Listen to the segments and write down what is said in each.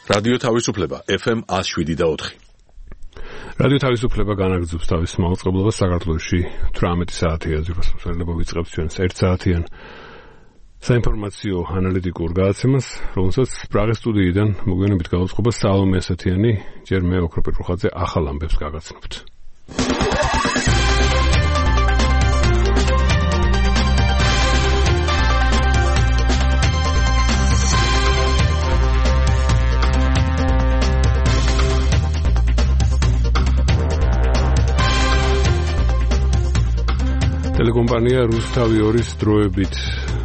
რადიო თავისუფლება FM 107.4. რადიო თავისუფლება განაგრძობს თავის მაუწყებლობას საქართველოში 18 საათია ზურგასმოსავლება ვიწყებს ჩვენს 1 საათიან საინფორმაციო ანალიტიკურ გადაცემას, რომელსაც პრაღის სტუდიიდან მოგვიანებით გაუძღობა სალომე ასათიანი, ჯერ მე ოქრო პეტროხაძე ახალ ამბებს გაგაცნობთ. ტელეკომპანია რუსთავი 2-ის დროებით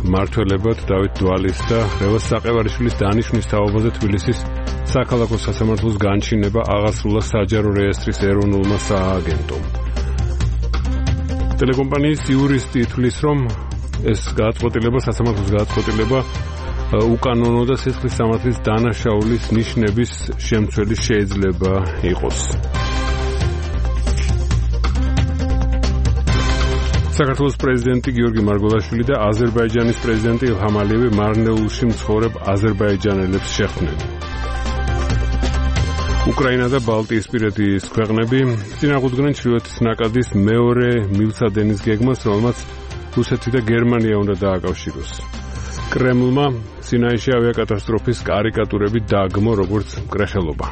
მმართველებად დავით დვალის და რევაზ საყევარიშვილის დანიშვნის თაობაზე თბილისის საქალაქო სასამართლოს განჩინება აღასრულა საჯარო რეესტრის ეროვნულმა სააგენტომ. ტელეკომპანიის იურისტი თვლის, რომ ეს გადაწყვეტილება, სასამართლოს გადაწყვეტილება უკანონო და სისხლის სამართლის დანაშაულის ნიშნების შემცველი შეიძლება იყოს. საქართველოს პრეზიდენტი გიორგი მარგველაშვილი და აზერბაიჯანის პრეზიდენტი ილჰამ ალიევი მარნეულში მცხოვრებ აზერბაიჯანელებს შეხვდნენ. უკრაინა და ბალტიისპირეთის ქვეყნები წინააღმდეგნენ ჩრდილოეთის ნაკადის მეორე მილსადენის გეგმას, რომელმაც რუსეთი და გერმანია უნდა დააკავშიროს. კრემლმა სინაიში ავიაკატასტროფის კარიკატურები დააგმო როგორც მკრეხელობა.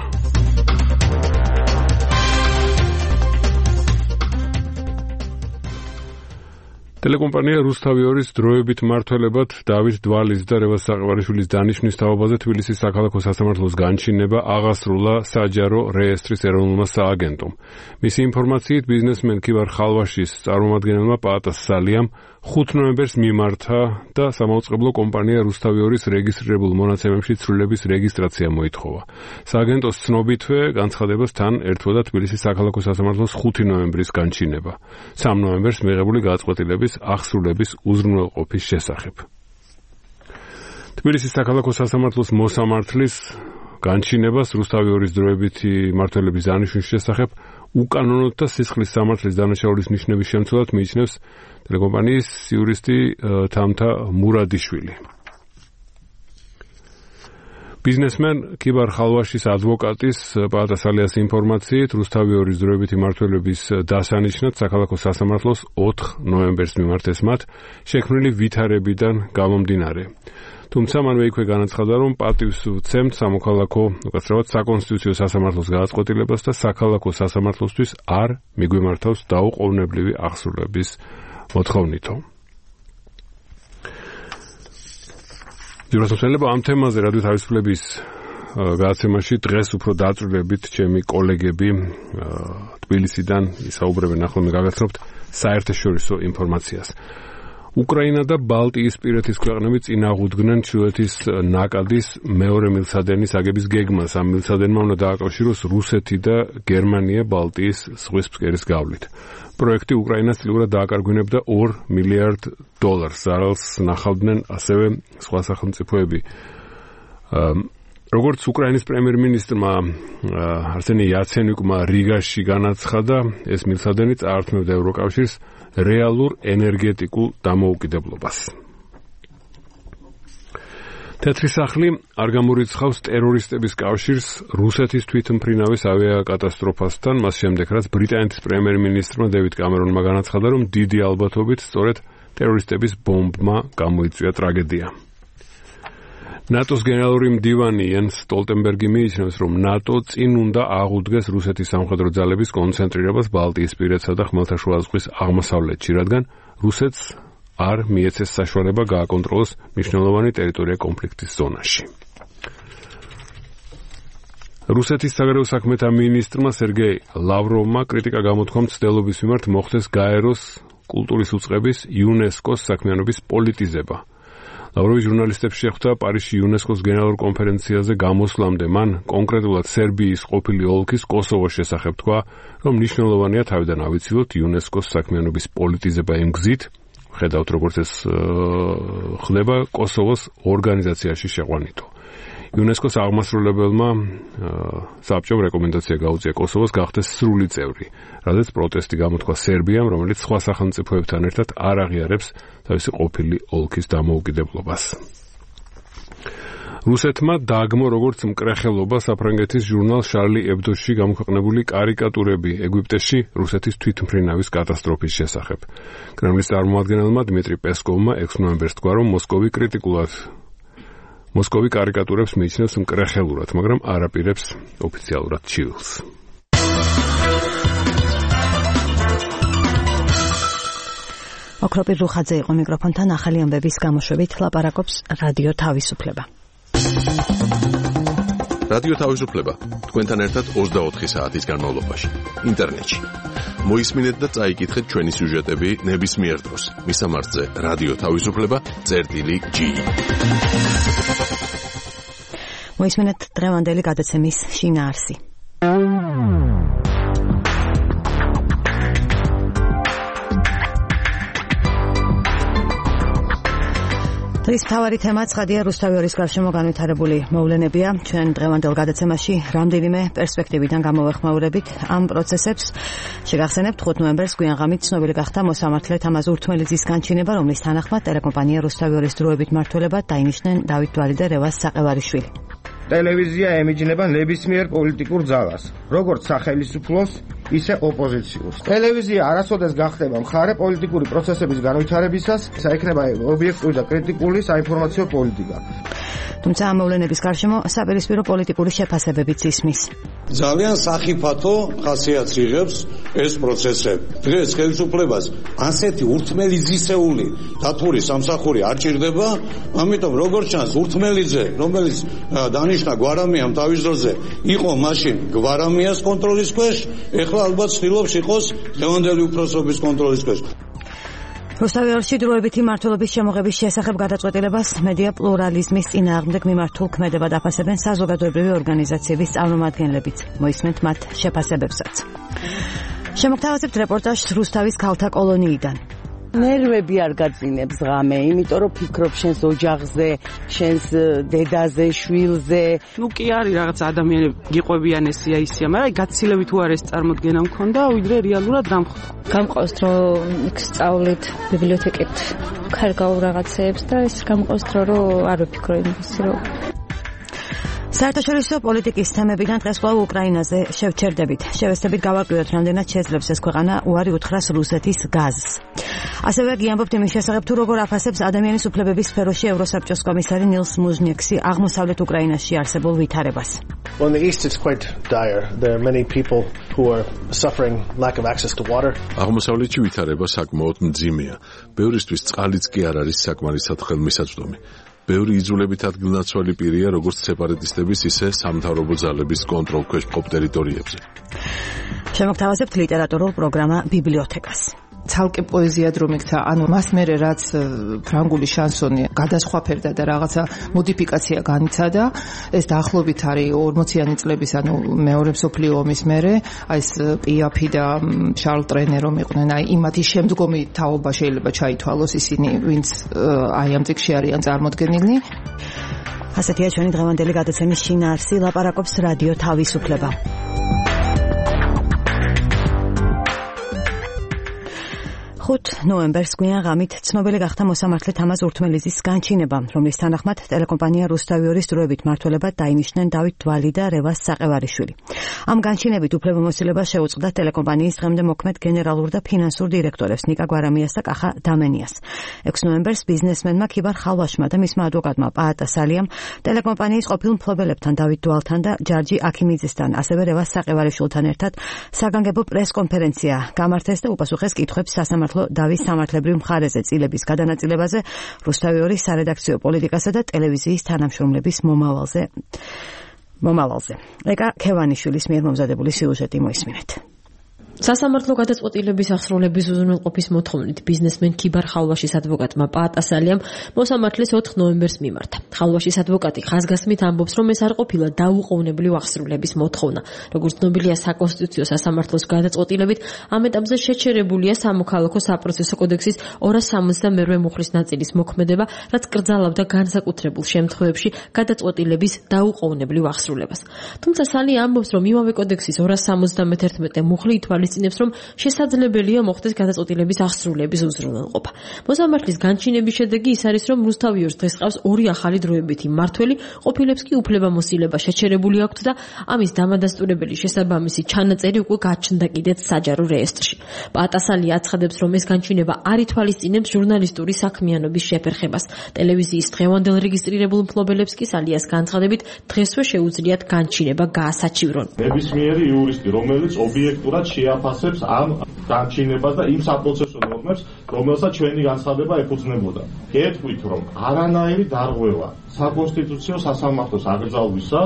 ტელეკომპანია რუსთავი 2-ის დროებით მმართველებად დავით დვალის და რევაზ საყევარიშვილის დანიშვნის თაობაზე თბილისის საქალაქო სასამართლოს განჩინება აღასრულა საჯარო რეესტრის ეროვნულმა სააგენტომ. მისი ინფორმაციით, ბიზნესმენ ქივარ ხალვაშის წარმომადგენელმა პაატას სალიამ 5 ნოემბერს მიმართა და სამაუწყებლო კომპანია რუსთავი 2-ის რეგისტრირებულ მონაცემებში ცვლილების რეგისტრაცია მოითხოვა. სააგენტოს ცნობითვე განცხადებას თან ერთვოდა თბილისის საქალაქო სასამართლოს 5 ნოემბრის განჩინება. 3 ნოემბერს მიღებული გადაწყვეტილების აღსრულების უზრუნველყოფის შესახებ. თბილისის საქალაქო სასამართლოს მოსამართლის განჩინებას რუსთავი 2-ის დროებითი მმართველების დანიშვნის შესახებ უკანონოდ და სისხლის სამართლის დანაშაულის ნიშნების შემცველად მიიჩნევს ტელეკომპანიის იურისტი თამთა მურადიშვილი. ბიზნესმენ ქივარ ხალვაშის ადვოკატის პაატას სალიას ინფორმაციით, რუსთავი 2-ის დროებითი მმართველების დასანიშნად საქალაქო სასამართლოს 4 ნოემბერს მიმართეს მათ შექმნილი ვითარებიდან გამომდინარე. თუმცა მანვე იქვე განაცხადა, რომ პატივს ვცემთ სამოქალაქო, უკაცრავად საკონსტიტუციო სასამართლოს გადაწყვეტილებას და საქალაქო სასამართლოსთვის არ მიგვიმართავს დაუყოვნებლივი აღსრულების მოთხოვნითო. ზურგასმოსავლება ამ თემაზე რადიო თავისუფლების გადაცემაში დღეს უფრო დაწვრილებით ჩემი კოლეგები თბილისიდან ისაუბრებენ. ახლა მე გაგაცნობთ საერთაშორისო ინფორმაციას. უკრაინა და ბალტიისპირეთის ქვეყნები წინააღმდეგნენ ჩრდილოეთის ნაკადის მეორე მილსადენის აგების გეგმას. ამ მილსადენმა უნდა დააკავშიროს რუსეთი და გერმანია ბალტიის ზღვის ფსკერის გავლით. პროექტი უკრაინას წილურად დააკარგვინებდა $2 მილიარდ, ძალს ნახავდნენ ასევე სხვა სახელმწიფოები. როგორც უკრაინის პრემიერ-მინისტრმა არსენი იაცენიუკმა რიგაში განაცხადა, ეს მილსადენი წაართმევდა ევროკავშირს რეალურ ენერგეტიკულ დამოუკიდებლობას. თეთრი სახლი არ გამორიცხავს ტერორისტების კავშირს რუსეთის თვითმფრინავის ავიაკატასტროფასთან, მას შემდეგ რაც ბრიტანეთის პრემიერ-მინისტრმა დევიდ კამერონმა განაცხადა, რომ დიდი ალბათობით სწორედ ტერორისტების ბომბმა გამოიწვია ტრაგედია. ნატოს გენერალური მდივანი იენს სტოლტენბერგი მიიჩნევს, რომ ნატო წინ უნდა აღუდგეს რუსეთის სამხედრო ძალების კონცენტრირებას ბალტიისპირეთსა და ხმელთაშუა ზღვის აღმოსავლეთში, რადგან რუსეთს არ მიეცეს საშუალება გააკონტროლოს მნიშვნელოვანი ტერიტორია კონფლიქტის ზონაში. რუსეთის საგარეო საქმეთა მინისტრმა სერგეი ლავროვმა კრიტიკა გამოთქვა მცდელობის მიმართ მოხდეს გაეროს კულტურის უწყების იუნესკოს საქმიანობის პოლიტიზება. ლავროვი ჟურნალისტებს შეხვდა პარიზში იუნესკოს გენერალურ კონფერენციაზე გამოსვლამდე. მან კონკრეტულად სერბიის ყოფილი ოლქის კოსოვოს შესახებ თქვა, რომ მნიშვნელოვანია თავიდან ავიცილოთ იუნესკოს საქმიანობის პოლიტიზება იმ გზით, ხედავთ როგორც ეს ხდება კოსოვოს ორგანიზაციაში შეყვანითო. იუნესკოს აღმასრულებელმა საბჭომ რეკომენდაცია გაუწია კოსოვოს გახდეს სრული წევრი, რადგან პროტესტი გამოთქვა სერბიამ, რომელიც სხვა სახელმწიფოებთან ერთად არ აღიარებს თავისი ყოფილი ოლქის დამოუკიდებლობას. რუსეთმა დააგმო როგორც მკრეხელობა საფრანგეთის ჟურნალ შარლი ებდოში გამოქვეყნებული კარიკატურები ეგვიპტეში რუსეთის თვითმფრინავის კატასტროფის შესახებ. კრემლის წარმომადგენელმა დმიტრი პესკოვმა 6 ნოემბერს თქვა, რომ მოსკოვი კარიკატურებს მიიჩნევს მკრეხელურად, მაგრამ არ აპირებს ოფიციალურად ჩივილს. ოქროპირ რუხაძე იყო მიკროფონთან, ახალი ამბების გამოშვებით ლაპარაკობს რადიო თავისუფლება. რადიო თავისუფლება თქვენთან ერთად 24 საათის განმავლობაში ინტერნეტში. მოისმინეთ და წაიკითხეთ ჩვენი სიუჟეტები ნებისმიერ დროს. მისამართზე რადიო თავისუფლება.ge. მოისმინეთ დღევანდელი გადაცემის შინაარსი. დღის მთავარი თემა ცხადია რუსთავის გარშემო განვითარებული მოვლენებია. ჩვენ დღევანდელ გადაცემაში რამდენიმე პერსპექტივიდან გამოვეხმაურებით ამ პროცესებს. შეგახსენებთ 5 ნოემბერს გვიანღამით ცნობილი გახდა მოსამართლე თამაზ ურთმელიძის განჩინება, რომლის თანახმად ტელეკომპანია რუსთავის დროებით მმართველებად დაინიშნენ დავით დვალი და რევაზ საყევარიშვილი. ტელევიზია ემიჯნება ნებისმიერ პოლიტიკურ ძალას, როგორც სახელმწიფოს, ისე ოპოზიციურს. ტელევიზია არასოდეს გახდება მხარე პოლიტიკური პროცესების განვითარებისას, საიქნება ობიექტური და კრიტიკული საინფორმაციო პოლიტიკა. თუმცა ამ მოვლენების გარშემო საპირისპირო პოლიტიკური შეფასებებიც ისმის. ძალიან სახიფათო ხასიათს იღებს ეს პროცესები. დღეს ხელისუფლებას ასეთი ურთმელიძისეული დათური სამსახური არ ჭირდება, ამიტომ როგორც ჩანს ურთმელიძე, რომელიც დანიშნა გვარამიამ თავის დროზე იყო მაშინ გვარამიას კონტროლის ქვეშ, ეხლა ალბათ ცდილობს იყოს დღევანდელი უფროსობის კონტროლის ქვეშ. რუსთავში დროებითი მმართველობის შემოღების შესახებ გადაწყვეტილებას მედია პლურალიზმის წინააღმდეგ მიმართულ ქმედებად აფასებენ საზოგადოებრივი ორგანიზაციების წარმომადგენლებიც. მოისმენთ მათ შეფასებებსაც. შემოგთავაზებთ რეპორტაჟს რუსთავის ქალთა კოლონიიდან. ნერვები არ გაძინებს ღამე, იმიტომ რომ ფიქრობ შენს ოჯახზე, შენს დედაზე, შვილზე. ნუ კი არის რაღაც ადამიანები გიყვებიან ესია ისია, მაგრამ გაცილებით უარ ეს წარმოდგენა მქონდა, ვიდრე რეალურად დამხვდა. გამყავს რომ სწავლით ბიბლიოთეკით ქარგავ რაღაცეებს და ეს გამყავს რომ არ ვფიქრო იმის რომ საერთაშორისო პოლიტიკის თემებიდან დღეს კვლავ უკრაინაზე შევჩერდებით. შევესწრებით გავაკეთოთ, რამდენად შეძლებს ეს ქვეყანა უარი უთხრას რუსეთის გაზს. ასევე გიამბობთ იმის შესახებ, თუ როგორ აფასებს ადამიანის უფლებების სფეროში ევროსაბჭოს კომისარი ნილს მუჟნიექსი აღმოსავლეთ უკრაინაში არსებულ ვითარებას. On the east it's quite dire. There are many people who are suffering lack of access to water. აღმოსავლეთში ვითარება საკმაოდ მძიმეა. ბევრისთვის წყალიც კი არ არის საკმარისად ხელმისაწვდომი. ბევრი იძულებით ადგილნაცვალი პირია როგორც სეპარატისტების, ისე სამთავრობო ძალების კონტროლქვეშ მყოფ ტერიტორიებზე. შემოგთავაზებთ ლიტერატურულ პროგრამა ბიბლიოთეკას. ცალკე პოეზიად რომ იქცა, ანუ მას მერე რაც ფრანგული შანსონი გადასხვაფერდა და რაღაცა მოდიფიკაცია განიცადა, ეს დაახლოებით არის 40-იანი წლების, ანუ მეორე მსოფლიო ომის მერე, აი ეს პიაფი და შარლ ტრენე რომ იყვნენ, აი იმათი შემდგომი თაობა შეიძლება ჩაითვალოს ისინი, ვინც აი ამ წიგნში არიან წარმოდგენილნი. ასეთია ჩვენი დღევანდელი გადაცემის შინაარსი, ლაპარაკობს რადიო თავისუფლება. 5 ნოემბერს გვიანღამით ცნობილი გახდა მოსამართლე თამაზ ურთმელიძის განჩინება, რომლის თანახმად ტელეკომპანია რუსთავის დროებით მმართველებად დაინიშნენ დავით დვალი და რევაზ საყევარიშვილი. ამ განჩინებით უფლებამოსილება შეუწყდა ტელეკომპანიის დღემდე მოქმედ გენერალურ და ფინანსურ დირექტორებს ნიკა გვარამიას და კახა დამენიას. 6 ნოემბერს ბიზნესმენმა ქიბარ ხალვაშმა და მისმა ადვოკატმა პაატა სალიამ ტელეკომპანიის ყოფილ მფლობელებთან დავით დვალთან და ჯარჯი აქიმიძესთან, ასევე რევაზ საყევარიშვილთან ერთად საგანგებო პრეს-კონფერენცია გამართეს და უპასუხეს კითხვებს სასამართლო დავის სამართლებრივ მხარეზე წილების გადანაწილებაზე, რუსთავის სარედაქციო პოლიტიკასა და ტელევიზიის თანამშრომლების მომავალზე. ეკა ქევანიშვილის მიერ მომზადებული სიუჟეტი მოისმინეთ. სასამართლო გადაწყვეტილების აღსრულების უზრუნველყოფის მოთხოვნით ბიზნესმენ ქიბარ ხალვაშის ადვოკატმა პაატა სალიამ მოსამართლეს 4 ნოემბერს მიმართა. ხალვაშის ადვოკატი ხაზგასმით ამბობს, რომ ეს არ ყოფილა დაუყოვნებლივ აღსრულების მოთხოვნა. როგორც ცნობილია, საკონსტიტუციო სასამართლოს გადაწყვეტილებით ამ ეტაპზე შეჩერებულია სამოქალაქო საპროცესო კოდექსის 272 მუხლის ნაწილის მოქმედება, რაც კრძალავდა განსაკუთრებულ შემთხვევებში გადაწყვეტილების დაუყოვნებლივ აღსრულებას. თუმცა სალი ამბობს, რომ იმავე კოდექსის 271 მუხლი ითვალისწინებს ითვალისწინებს, რომ შესაძლებელია მოხდეს გადაწყვეტილების აღსრულების უზრუნველყოფა. მოსამართლის განჩინების შედეგი ის არის, რომ რუსთავიორს დღეს ყავს 2 ახალი დროებითი მმართველი, ყოფილებს კი უფლებამოსილება შეჩერებული აქვთ და ამის დამადასტურებელი შესაბამისი ჩანაწერი უკვე გაჩნდა კიდეც საჯარო რეესტრში. პატასალი აცხადებს, რომ ეს განჩინება არ ითვალისწინებს ჟურნალისტური საქმიანობის შეფერხებას. ტელევიზიის დღევანდელ რეგისტრირებულ მფლობელებს კი სალიას განცხადებით დღესვე შეუძლიათ განჩინება გაასაჩივრონ. ნებისმიერი იურისტი, რომელიც ობიექტურად შეაფასებს ამ განჩინებას და იმ საპროცესო ნორმებს, რომელსაც ჩვენი განცხადება ეფუძნებოდა. გეტყვით, რომ არანაირი დარღვევა საკონსტიტუციო სასამართლოს აკრძალვისა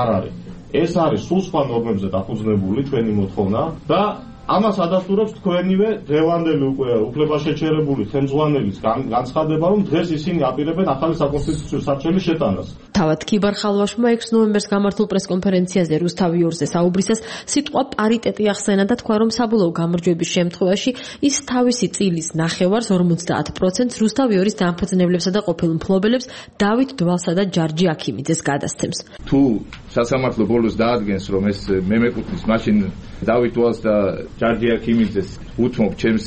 არ არის. ეს არის სულ სხვა ნორმებზე დაფუძნებული ჩვენი მოთხოვნა და ამას ადასტურებს თქვენივე დღევანდელი უკვე უფლებაშეჩერებული ხელმძღვანელის განცხადება, რომ დღეს ისინი აპირებენ ახალი საკონსტიტუციო სარჩელის შეტანას. თავად ქიბარ ხალვაშმა 6 ნოემბერს გამართულ პრესკონფერენციაზე რუსთავიორზე საუბრისას სიტყვა პარიტეტი ახსენა და თქვა, რომ საბოლოო გამარჯვების შემთხვევაში ის თავისი წილის ნახევარს 50% რუსთავიორის დამფუძნებლებსა და ყოფილ მფლობელებს დავით დვალსა და ჯარჯი აქიმიძეს გადასცემს. თუ სასამართლო ბოლოს დაადგენს, რომ ეს მე მეკუთვნის მაშინ დავით დვალს და ჯარჯი აქიმიძეს უთმობ ჩემს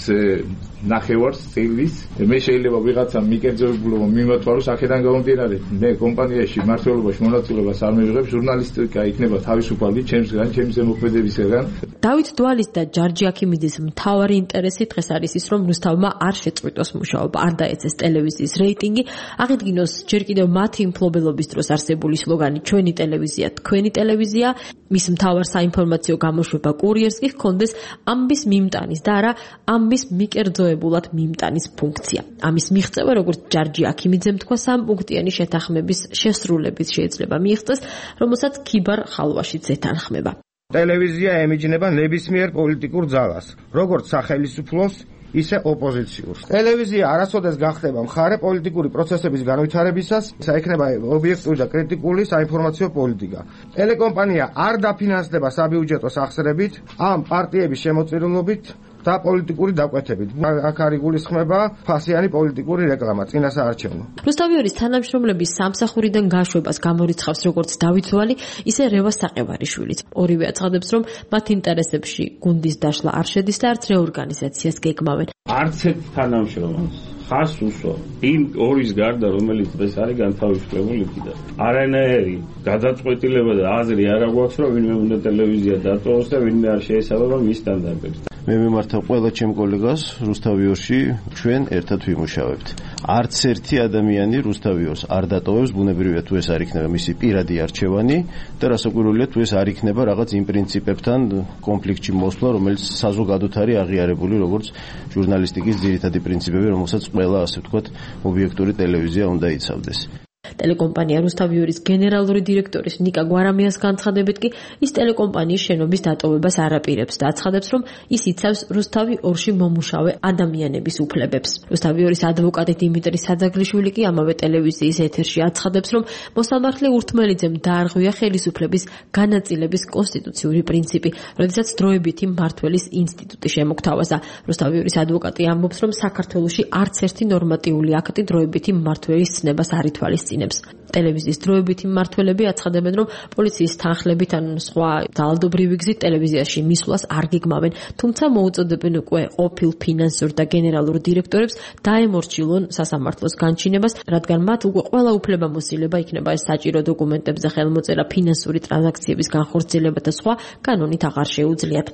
ნახევარს წილის, მე შეიძლება ვიღაცამ მიკერძოებულობა მიმართვარო აქედან გამომდინარე, მე კომპანიაში მმართველობაში მონაწილეობას არ მივიღებ, ჟურნალისტიკა იქნება თავისუფალი ჩემსგან, ჩემს ზემოქმედებისგან. დავით დვალის და ჯარჯი აქიმიძის მთავარი ინტერესი დღეს არის ის, რომ რუსთავმა არ შეწყვიტოს მუშაობა, არ დაეცეს ტელევიზიის რეიტინგი, აღიდგინოს ჯერ კიდევ მათი მფლობელობის დროს არსებული სლოგანი ჩვენი ტელევიზია, თქვენი ტელევიზია, მის მთავარ საინფორმაციო გამოშვება კურიერს კი ჰქონდეს ამბის მიმტანის და არა ამბის მიკერძოებულად მიმტანის ფუნქცია. ამის მიღწევა, როგორც ჯარჯი აქიმიძემ თქვა, 3-პუნქტიანი შეთანხმების შესრულებით შეიძლება მიიღწეს, რომელსაც ქიბარ ხალვაშიც ეთანხმება. ტელევიზია ემიჯნება ნებისმიერ პოლიტიკურ ძალას, როგორც სახელმწიფოს, ისე ოპოზიციურს. ტელევიზია არასოდეს გახდება მხარე პოლიტიკური პროცესების განვითარებისას, საიქნება ობიექტური და კრიტიკული საინფორმაციო პოლიტიკა. ტელეკომპანია არ დაფინანსდება საბიუჯეტო სახსრებით, ამ პარტიების შემოწირულობით და პოლიტიკური დაკვეთებით. აქ არის გულისხმება ფასიანი პოლიტიკური რეკლამა, წინასაარჩევნო. რუსთავიორის თანამშრომლების სამსახურიდან გაშვებას გამორიცხავს როგორც დავით დვალი, ისე რევა საყევარიშვილიც. ორივე აცხადებს, რომ მათ ინტერესებში გუნდის დაშლა არ შედის და არც რეორგანიზაციას გეგმავენ. არც ერთ თანამშრომელს ხას უსვა იმ ორის გარდა, რომელიც დღეს არის განთავისუფლებული და არანაირი გადაწყვეტილება და აზრი არ აქვს, რომ ვინმე უნდა ტელევიზია დატოვოს და ვინმე არ შეესაბამება მის სტანდარტებს. მე მიმართავ ყველა ჩემ კოლეგას რუსთავიორში, ჩვენ ერთად ვიმუშავებთ. არც ერთი ადამიანი რუსთავიორს არ დატოვებს, ბუნებრივია თუ ეს არ იქნება მისი პირადი არჩევანი და რასაკვირველია თუ ეს არ იქნება რაღაც იმ პრინციპებთან კონფლიქტში მოსვლა, რომელიც საზოგადოდ არის აღიარებული როგორც ჟურნალისტიკის ძირითადი პრინციპები, რომელსაც ყველა, ასე ვთქვათ, ობიექტური ტელევიზია უნდა იცავდეს. ტელეკომპანია რუსთავიორის გენერალური დირექტორის ნიკა გვარამიას განცხადებით კი ის ტელეკომპანიის შენობის დატოვებას არ აპირებს და აცხადებს, რომ ის იცავს რუსთავი 2-ში მომუშავე ადამიანების უფლებებს. რუსთავიორის ადვოკატი დიმიტრი საძაგლიშვილი კი ამავე ტელევიზიის ეთერში აცხადებს, რომ მოსამართლე ურთმელიძემ დაარღვია ხელისუფლების განაწილების კონსტიტუციური პრინციპი, როდესაც დროებითი მმართველის ინსტიტუტი შემოგთავაზა. რუსთავიორის ადვოკატი ამბობს, რომ საქართველოში არც ერთი ნორმატიული აქტი დროებითი მმართველის ცნებას არ ითვალისწინებს. ტელევიზიის დროებითი მმართველები აცხადებენ, რომ პოლიციის თანხლებით ან სხვა ძალადობრივი გზით ტელევიზიაში მისვლას არ გეგმავენ, თუმცა მოუწოდებენ უკვე ყოფილ ფინანსურ და გენერალურ დირექტორებს დაემორჩილონ სასამართლოს განჩინებას, რადგან მათ უკვე ყველა უფლებამოსილება იქნება ეს საჭირო დოკუმენტებზე ხელმოწერა, ფინანსური ტრანზაქციების განხორციელება და სხვა კანონით აღარ შეუძლიათ.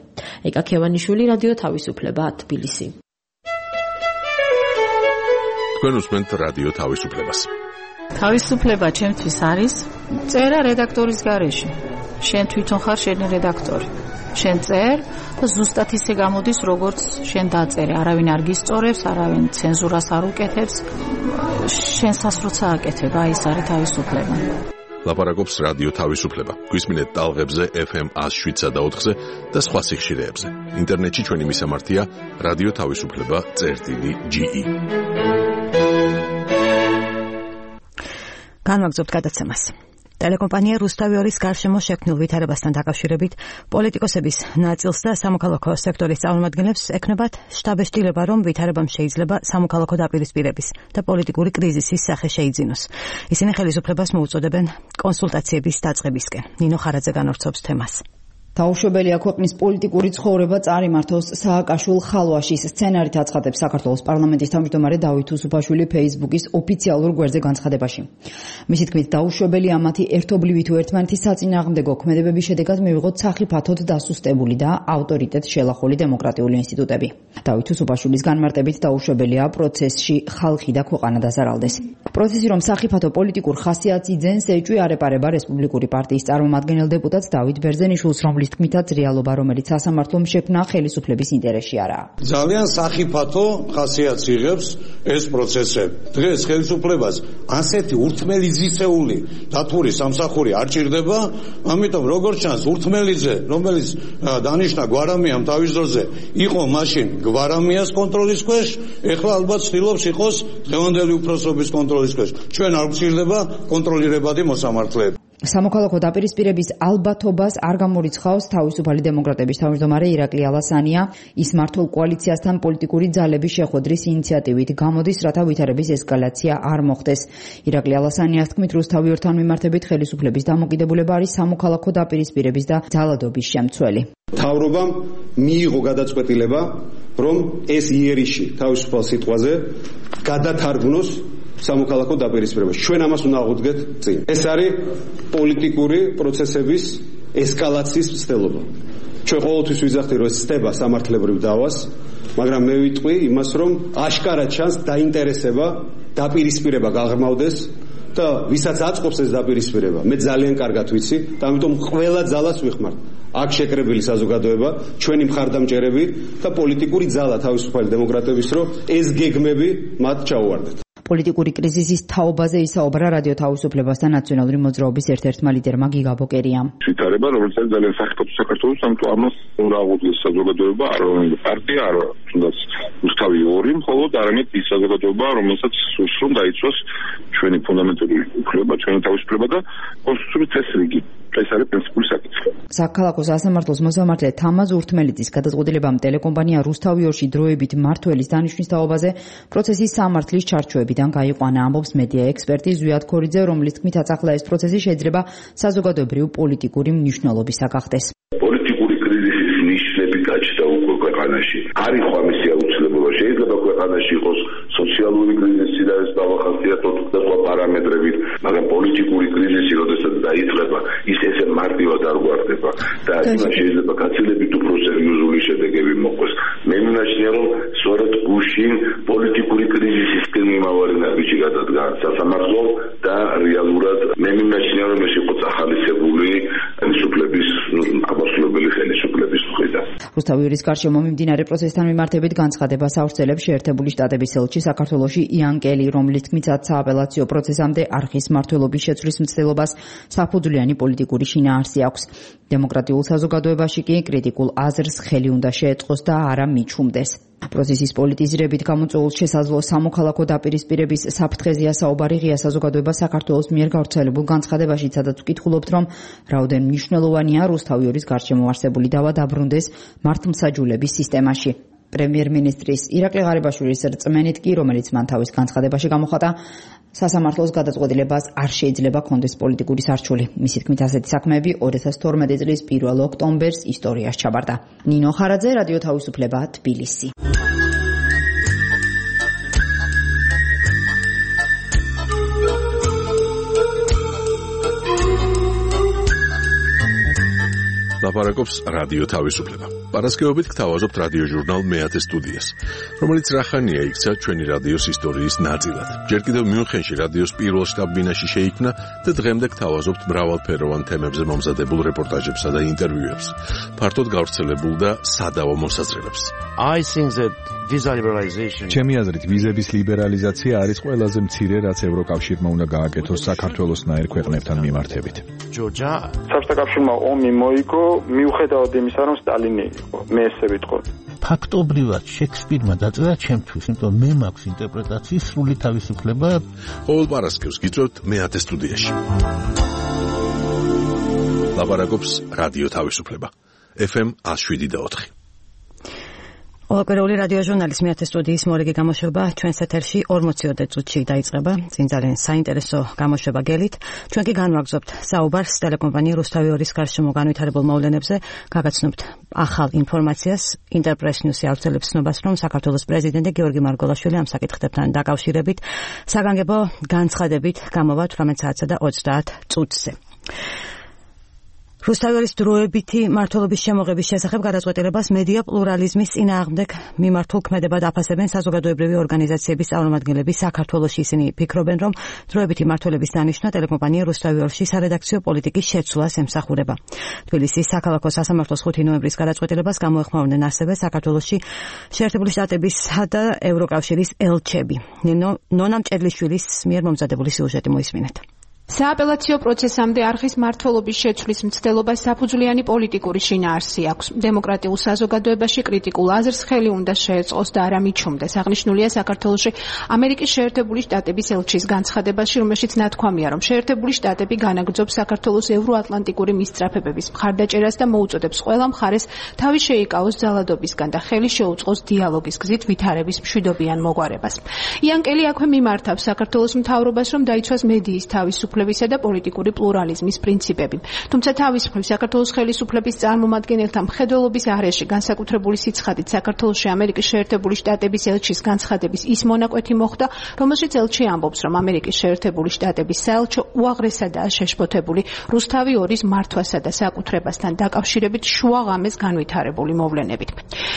ეკა ქევანიშვილი, რადიო თავისუფლება, თბილისი. თქვენ უსმენთ რადიო თავისუფლებას. თავისუფლება ჩემთვის არის წერა რედაქტორის გარეშე. შენ თვითონ ხარ შენი რედაქტორი. შენ წერ და ზუსტად ისე გამოდის, როგორც შენ დაწერე. არავინ არ გისწორებს, არავინ ცენზურას არ უკეთებს. შენსას როცა აკეთებ, აი ეს არის თავისუფლება. ლაპარაკობს რადიო თავისუფლება. გვისმინეთ ტალღებზე FM 107 და 4-ზე და სხვა სიხშირეებზე. ინტერნეტში ჩვენი მისამართია რადიო თავისუფლება.ge. განვაგრძობთ გადაცემას. ტელეკომპანია რუსთავიორის გარშემო შექმნილ ვითარებასთან დაკავშირებით პოლიტიკოსების ნაწილს და სამოქალაქო სექტორის წარმომადგენლებს ექნებათ შტაბეშტილება, რომ ვითარებამ შეიძლება სამოქალაქო დაპირისპირების და პოლიტიკური კრიზისის სახე შეიძინოს. ისინი ხელისუფლებას მოუწოდებენ კონსულტაციების დაწყებისკენ. ნინო ხარაძე განავრცობს თემას. დაუშვებელია ქვეყნის პოლიტიკური ცხოვრება წარიმართოს სააკაშვილ-ხალვაშის სცენარით აცხადებს საქართველოს პარლამენტის თავმჯდომარე დავით უსუფაშვილი ფეისბუქის ოფიციალურ გვერდზე განცხადებაში. მისი თქმით, დაუშვებელია მათი ერთობლივი თუ ერთმანეთის საწინააღმდეგო ქმედებების შედეგად მივიღოთ სახიფათოდ დასუსტებული და ავტორიტეტ შელახული დემოკრატიული ინსტიტუტები. დავით უსუფაშვილის განმარტებით დაუშვებელია პროცესში ხალხი და ქვეყანა დაზარალდეს. პროცესი რომ სახიფათო პოლიტიკურ ხასიათს იძენს ეჭვი არ ეპარება რესპუბლიკური პარტიის წარმომადგენელ დეპუტატს დავით ბერძენიშვილს, რომლის თქმითაც რეალობა, რომელიც სასამართლომ შექმნა, ხელისუფლების ინტერესში არაა. ძალიან სახიფათო ხასიათს იღებს ეს პროცესები. დღეს ხელისუფლებას ასეთი ურთმელიზისეული დათური სამსახური არ ჭირდება, ამიტომ როგორც ჩანს ურთმელიძე, რომელიც დანიშნა გვარამიამ თავის დროზე, იყო მაშინ გვარამიას კონტროლის ქვეშ, ეხლა ალბათ ცდილობს იყოს დღევანდელი უფროსობის კონტროლის ქვეშ. ჩვენ არ გვჭირდება კონტროლირებადი მოსამართლეები. სამოქალაქო დაპირისპირების ალბათობას არ გამორიცხავს თავისუფალი დემოკრატების თავმჯდომარე ირაკლი ალასანია. ის მართლ კოალიციასთან პოლიტიკური ძალების შეხვედრის ინიციატივით გამოდის, რათა ვითარების ესკალაცია არ მოხდეს. ირაკლი ალასანიას თქმით, რუსთავი ორთან მიმართებით ხელისუფლების დამოკიდებულება არის სამოქალაქო დაპირისპირების და ძალადობის შემცველი. მთავრობამ მიიღო გადაწყვეტილება, რომ ეს იერიში თავისუფალ სიტყვაზე გადათარგმნოს სამოქალაქო დაპირისპირება. ჩვენ ამას უნდა აღვდგეთ წინ. ეს არის პოლიტიკური პროცესების ესკალაციის მცდელობა. ჩვენ ყოველთვის ვიძახთ, რომ ეს ხდება სამართლებრივ დავას, მაგრამ მე ვიტყვი იმას, რომ აშკარად ჩანს დაინტერესება დაპირისპირება გაღრმავდეს და ვისაც აწყობს ეს დაპირისპირება, მე ძალიან კარგად ვიცი და ამიტომ ყველა ძალას ვიხმართ. აქ შეკრებილი საზოგადოება, ჩვენი მხარდამჭერები და პოლიტიკური ძალა თავისუფალი დემოკრატების, რომ ეს გეგმები მათ ჩაუვარდეთ. პოლიტიკური კრიზისის თაობაზე ისაუბრა რადიო თავისუფლებასთან ნაციონალური მოძრაობის ერთ-ერთმა ლიდერმა გიგა ბოკერიამ. ვითარება, რომელიც არის ძალიან სახიფათო საქართველოს, ამიტომ ამას უნდა აღვდგეს საზოგადოება, არ რომელი პარტია, არ თუნდაც რუსთავი ორი, მხოლოდ არამედ ის საზოგადოება, რომელსაც სურს რომ დაიცვას ჩვენი ფუნდამენტური უფლება, ჩვენი თავისუფლება და კონსტიტუციური წესრიგი. ეს არის პრინციპული საკითხი. საქალაქო სასამართლოს მოსამართლე თამაზ ურთმელიძის გადაწყვეტილებამ ტელეკომპანია რუსთავი ორში დროებით მმართველის დანიშვნის თაობაზე პროცესის სამართლის ჩარჩოებიდან გაიყვანა, ამბობს მედია ექსპერტი ზვიად ქორიძე, რომლის თქმითაც ახლა ეს პროცესი შეიძლება საზოგადოებრივ პოლიტიკური მნიშვნელობისა გახდეს. პოლიტიკური კრიზისის ნიშნები გაჩნდა უკვე ქვეყანაში. არ იყო ამისი აუცილებლობა. შეიძლება ქვეყანაში იყოს სოციალური კრიზისი და ეს დავახასიათოთ და სხვა პარამეტრებით, მაგრამ პოლიტიკური კრიზისი, როდესაც დაიწყება, ის ესე მარტივად არ გვარდება და შეიძლება გაცილებით უფრო სერიოზული შედეგები მოყვეს. მე მინაშნია, რომ სწორედ გუშინ პოლიტიკური კრიზისისკენ მიმავალი ნაბიჯი გადადგა სასამართლომ და რეალურად მე მინაშნია, რომ ეს იყო წახალისებული ხელისუფლების, აბსოლუტური ხელისუფლების მხრიდან. რუსთავი ორის გარშემო მიმდინარე პროცესთან მიმართებით განცხადებას ავრცელებს შეერთებული შტატების ელჩი საქართველოში იან კელი, რომლის თქმითაც სააპელაციო პროცესამდე არხის მმართველობის შეცვლის მცდელობას საფუძვლიანი პოლიტიკური შინაარსი აქვს. დემოკრატიულ საზოგადოებაში კი კრიტიკულ აზრს ხელი უნდა შეეწყოს და არა მიჩუმდეს. პროცესის პოლიტიზირებით გამოწვეულ შესაძლო სამოქალაქო დაპირისპირების საფრთხეზეა საუბარი ღია საზოგადოება საქართველოს მიერ გავრცელებულ განცხადებაში, სადაც ვკითხულობთ, რომ რაოდენ მნიშვნელოვანია რუსთავი ორის გარშემო არსებული დავა დაბრუნდეს მართლმსაჯულების სისტემაში. პრემიერ-მინისტრის ირაკლი ღარიბაშვილის რწმენით კი, რომელიც მან თავის განცხადებაში გამოხატა, სასამართლოს გადაწყვეტილებას არ შეიძლება კონდეს პოლიტიკური სარჩული. მისი თქმით, ასეთი საქმეები 2012 წლის 1 ოქტომბერს ისტორიაში ჩაბარდა. ნინო ხარაძე, რადიო თავისუფლება, თბილისი. ლაპარაკობს რადიო თავისუფლება. პარასკევობით გთავაზობთ რადიო ჟურნალ მეათე სტუდიას, რომელიც რახანია იქცა ჩვენი რადიოს ისტორიის ნაწილად. ჯერ კიდევ მიუნხენში რადიოს პირველ შტაბ-ბინაში შეიქმნა და დღემდე გთავაზობთ მრავალფეროვან თემებზე მომზადებულ რეპორტაჟებსა და ინტერვიუებს, ფართოდ გავრცელებულ და სადავო მოსაზრებებს. ჩემი აზრით, ვიზების ლიბერალიზაცია არის ყველაზე მცირე, რაც ევროკავშირმა უნდა გააკეთოს საქართველოსნაირ ქვეყნებთან მიმართებით. საბჭოთა კავშირმა ომი მოიგო, მიუხედავად იმისა, რომ სტალინი იყო. მე ესე ვიტყოდი. ფაქტობრივად შექსპირმა დაწერა ჩემთვის, იმიტომ მე მაქვს ინტერპრეტაციის სრული თავისუფლება. ყოველ პარასკევს გიწევთ მეათე სტუდიაში. ლაპარაკობს რადიო თავისუფლება. FM 107.4. ყოველკვირეული რადიო ჟურნალის მეათე სტუდიის მორიგი გამოშვება ჩვენს ეთერში 40 წუთში დაიწყება. წინ ძალიან საინტერესო გამოშვება გელით. ჩვენ კი განვაგრძობთ საუბარს ტელეკომპანია რუსთავი 2-ის გარშემო განვითარებულ მოვლენებზე. გაგაცნობთ ახალ ინფორმაციას. ინტერპრეს ნიუსი ავრცელებს ცნობას, რომ საქართველოს პრეზიდენტი გიორგი მარგველაშვილი ამ საკითხებთან დაკავშირებით საგანგებო განცხადებით გამოვა 18 საათსა და 30 წუთზე. რუსთავის დროებითი მმართველობის შემოღების შესახებ გადაწყვეტილებას მედია პლურალიზმის წინააღმდეგ მიმართულ ქმედებად აფასებენ საზოგადოებრივი ორგანიზაციების წარმომადგენლები საქართველოში. ისინი ფიქრობენ, რომ დროებითი მმართველობის დანიშვნა ტელეკომპანია რუსთავი 2-ში სარედაქციო პოლიტიკის შეცვლას ემსახურება. თბილისის საქალაქო სასამართლოს 5 ნოემბრის გადაწყვეტილებას გამოეხმაურნენ ასევე საქართველოში შეერთებული შტატებისა და ევროკავშირის ელჩები. ნონა მჭედლიშვილის მიერ მომზადებული სიუჟეტი მოისმინეთ. სააპელაციო პროცესამდე არხის მმართველობის შეცვლის მცდელობა საფუძვლიანი პოლიტიკური შინაარსი აქვს. დემოკრატიულ საზოგადოებაში კრიტიკულ აზრს ხელი უნდა შეეწყოს და არა მიჩუმდეს. აღნიშნულია საქართველოში ამერიკის შეერთებული შტატების ელჩის განცხადებაში, რომელშიც ნათქვამია, რომ შეერთებული შტატები განაგრძობს საქართველოს ევროატლანტიკური მისწრაფებების მხარდაჭერას და მოუწოდებს ყველა მხარეს თავი შეიკავოს ძალადობისგან და ხელი შეუწყოს დიალოგის გზით ვითარების მშვიდობიან მოგვარებას. იანკელი აქვე მიმართავს საქართველოს მთავრობას, რომ დაიცვას მედიის თავისუფლება და პოლიტიკური პლურალიზმის პრინციპები. თუმცა თავის მხრივ საქართველოს ხელისუფლების წარმომადგენელთა მხედველობის არეში განსაკუთრებული სიცხადით საქართველოში ამერიკის შეერთებული შტატების ელჩის განცხადების ის მონაკვეთი მოხდა, რომელშიც ელჩი ამბობს, რომ ამერიკის შეერთებული შტატების საელჩო უაღრესადაა შეშფოთებული რუსთავი 2-ის მართვასა და საკუთრებასთან დაკავშირებით შუაღამეს განვითარებული მოვლენებით.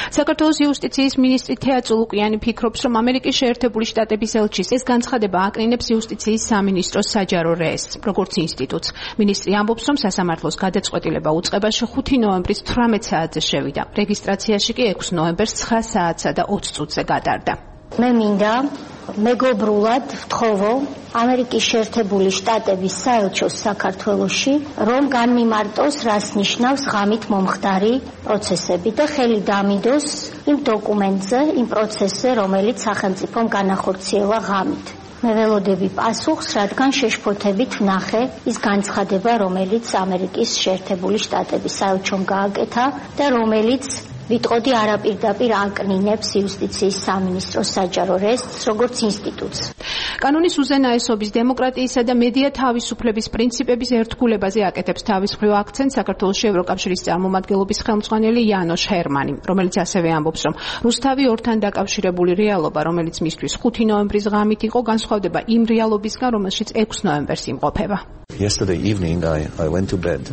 საქართველოს იუსტიციის მინისტრი თეა წულუკიანი ფიქრობს, რომ ამერიკის შეერთებული შტატების ელჩის ეს განცხადება აკნინებს იუსტიციის სამინისტროს საჯარო როგორც ინსტიტუტს. მინისტრი ამბობს, რომ სასამართლოს გადაწყვეტილება უწყებაში 5 ნოემბრის 18 საათზე შევიდა. რეგისტრაციაში კი 6 ნოემბერს 9 საათსა და 20 წუთზე გადარდა. მე მინდა მეგობრულად ვთხოვო ამერიკის შეერთებული შტატების საელჩოს საქართველოში, რომ განმიმარტოს, რას ნიშნავს ღამით მომხდარი პროცესები და ხელი დამიდოს იმ დოკუმენტზე, იმ პროცესზე, რომელიც სახელმწიფომ განახორციელა ღამით. მე ველოდები პასუხს, რადგან შეშფოთებით ვნახე ის განცხადება, რომელიც ამერიკის შეერთებული შტატების საელჩომ გააკეთა და რომელიც ვიტყოდი არაპირდაპირ აკნინებს იუსტიციის სამინისტროს საჯარო რესტს როგორც ინსტიტუტს. კანონის უზენაესობის, დემოკრატიისა და მედია თავისუფლების პრინციპების ერთგულებაზე აკეთებს თავის მხრივ აქცენტს საქართველოს ევროკავშირის წარმომადგენლობის ხელმძღვანელი იანოშ ჰერმანი, რომელიც ასევე ამბობს, რომ რუსთავი 2-თან დაკავშირებული რეალობა, რომელიც მისთვის 5 ნოემბრის ღამით იყო, განსხვავდება იმ რეალობისგან, რომელშიც 6 ნოემბერს იმყოფება. Yesterday evening I went to bed.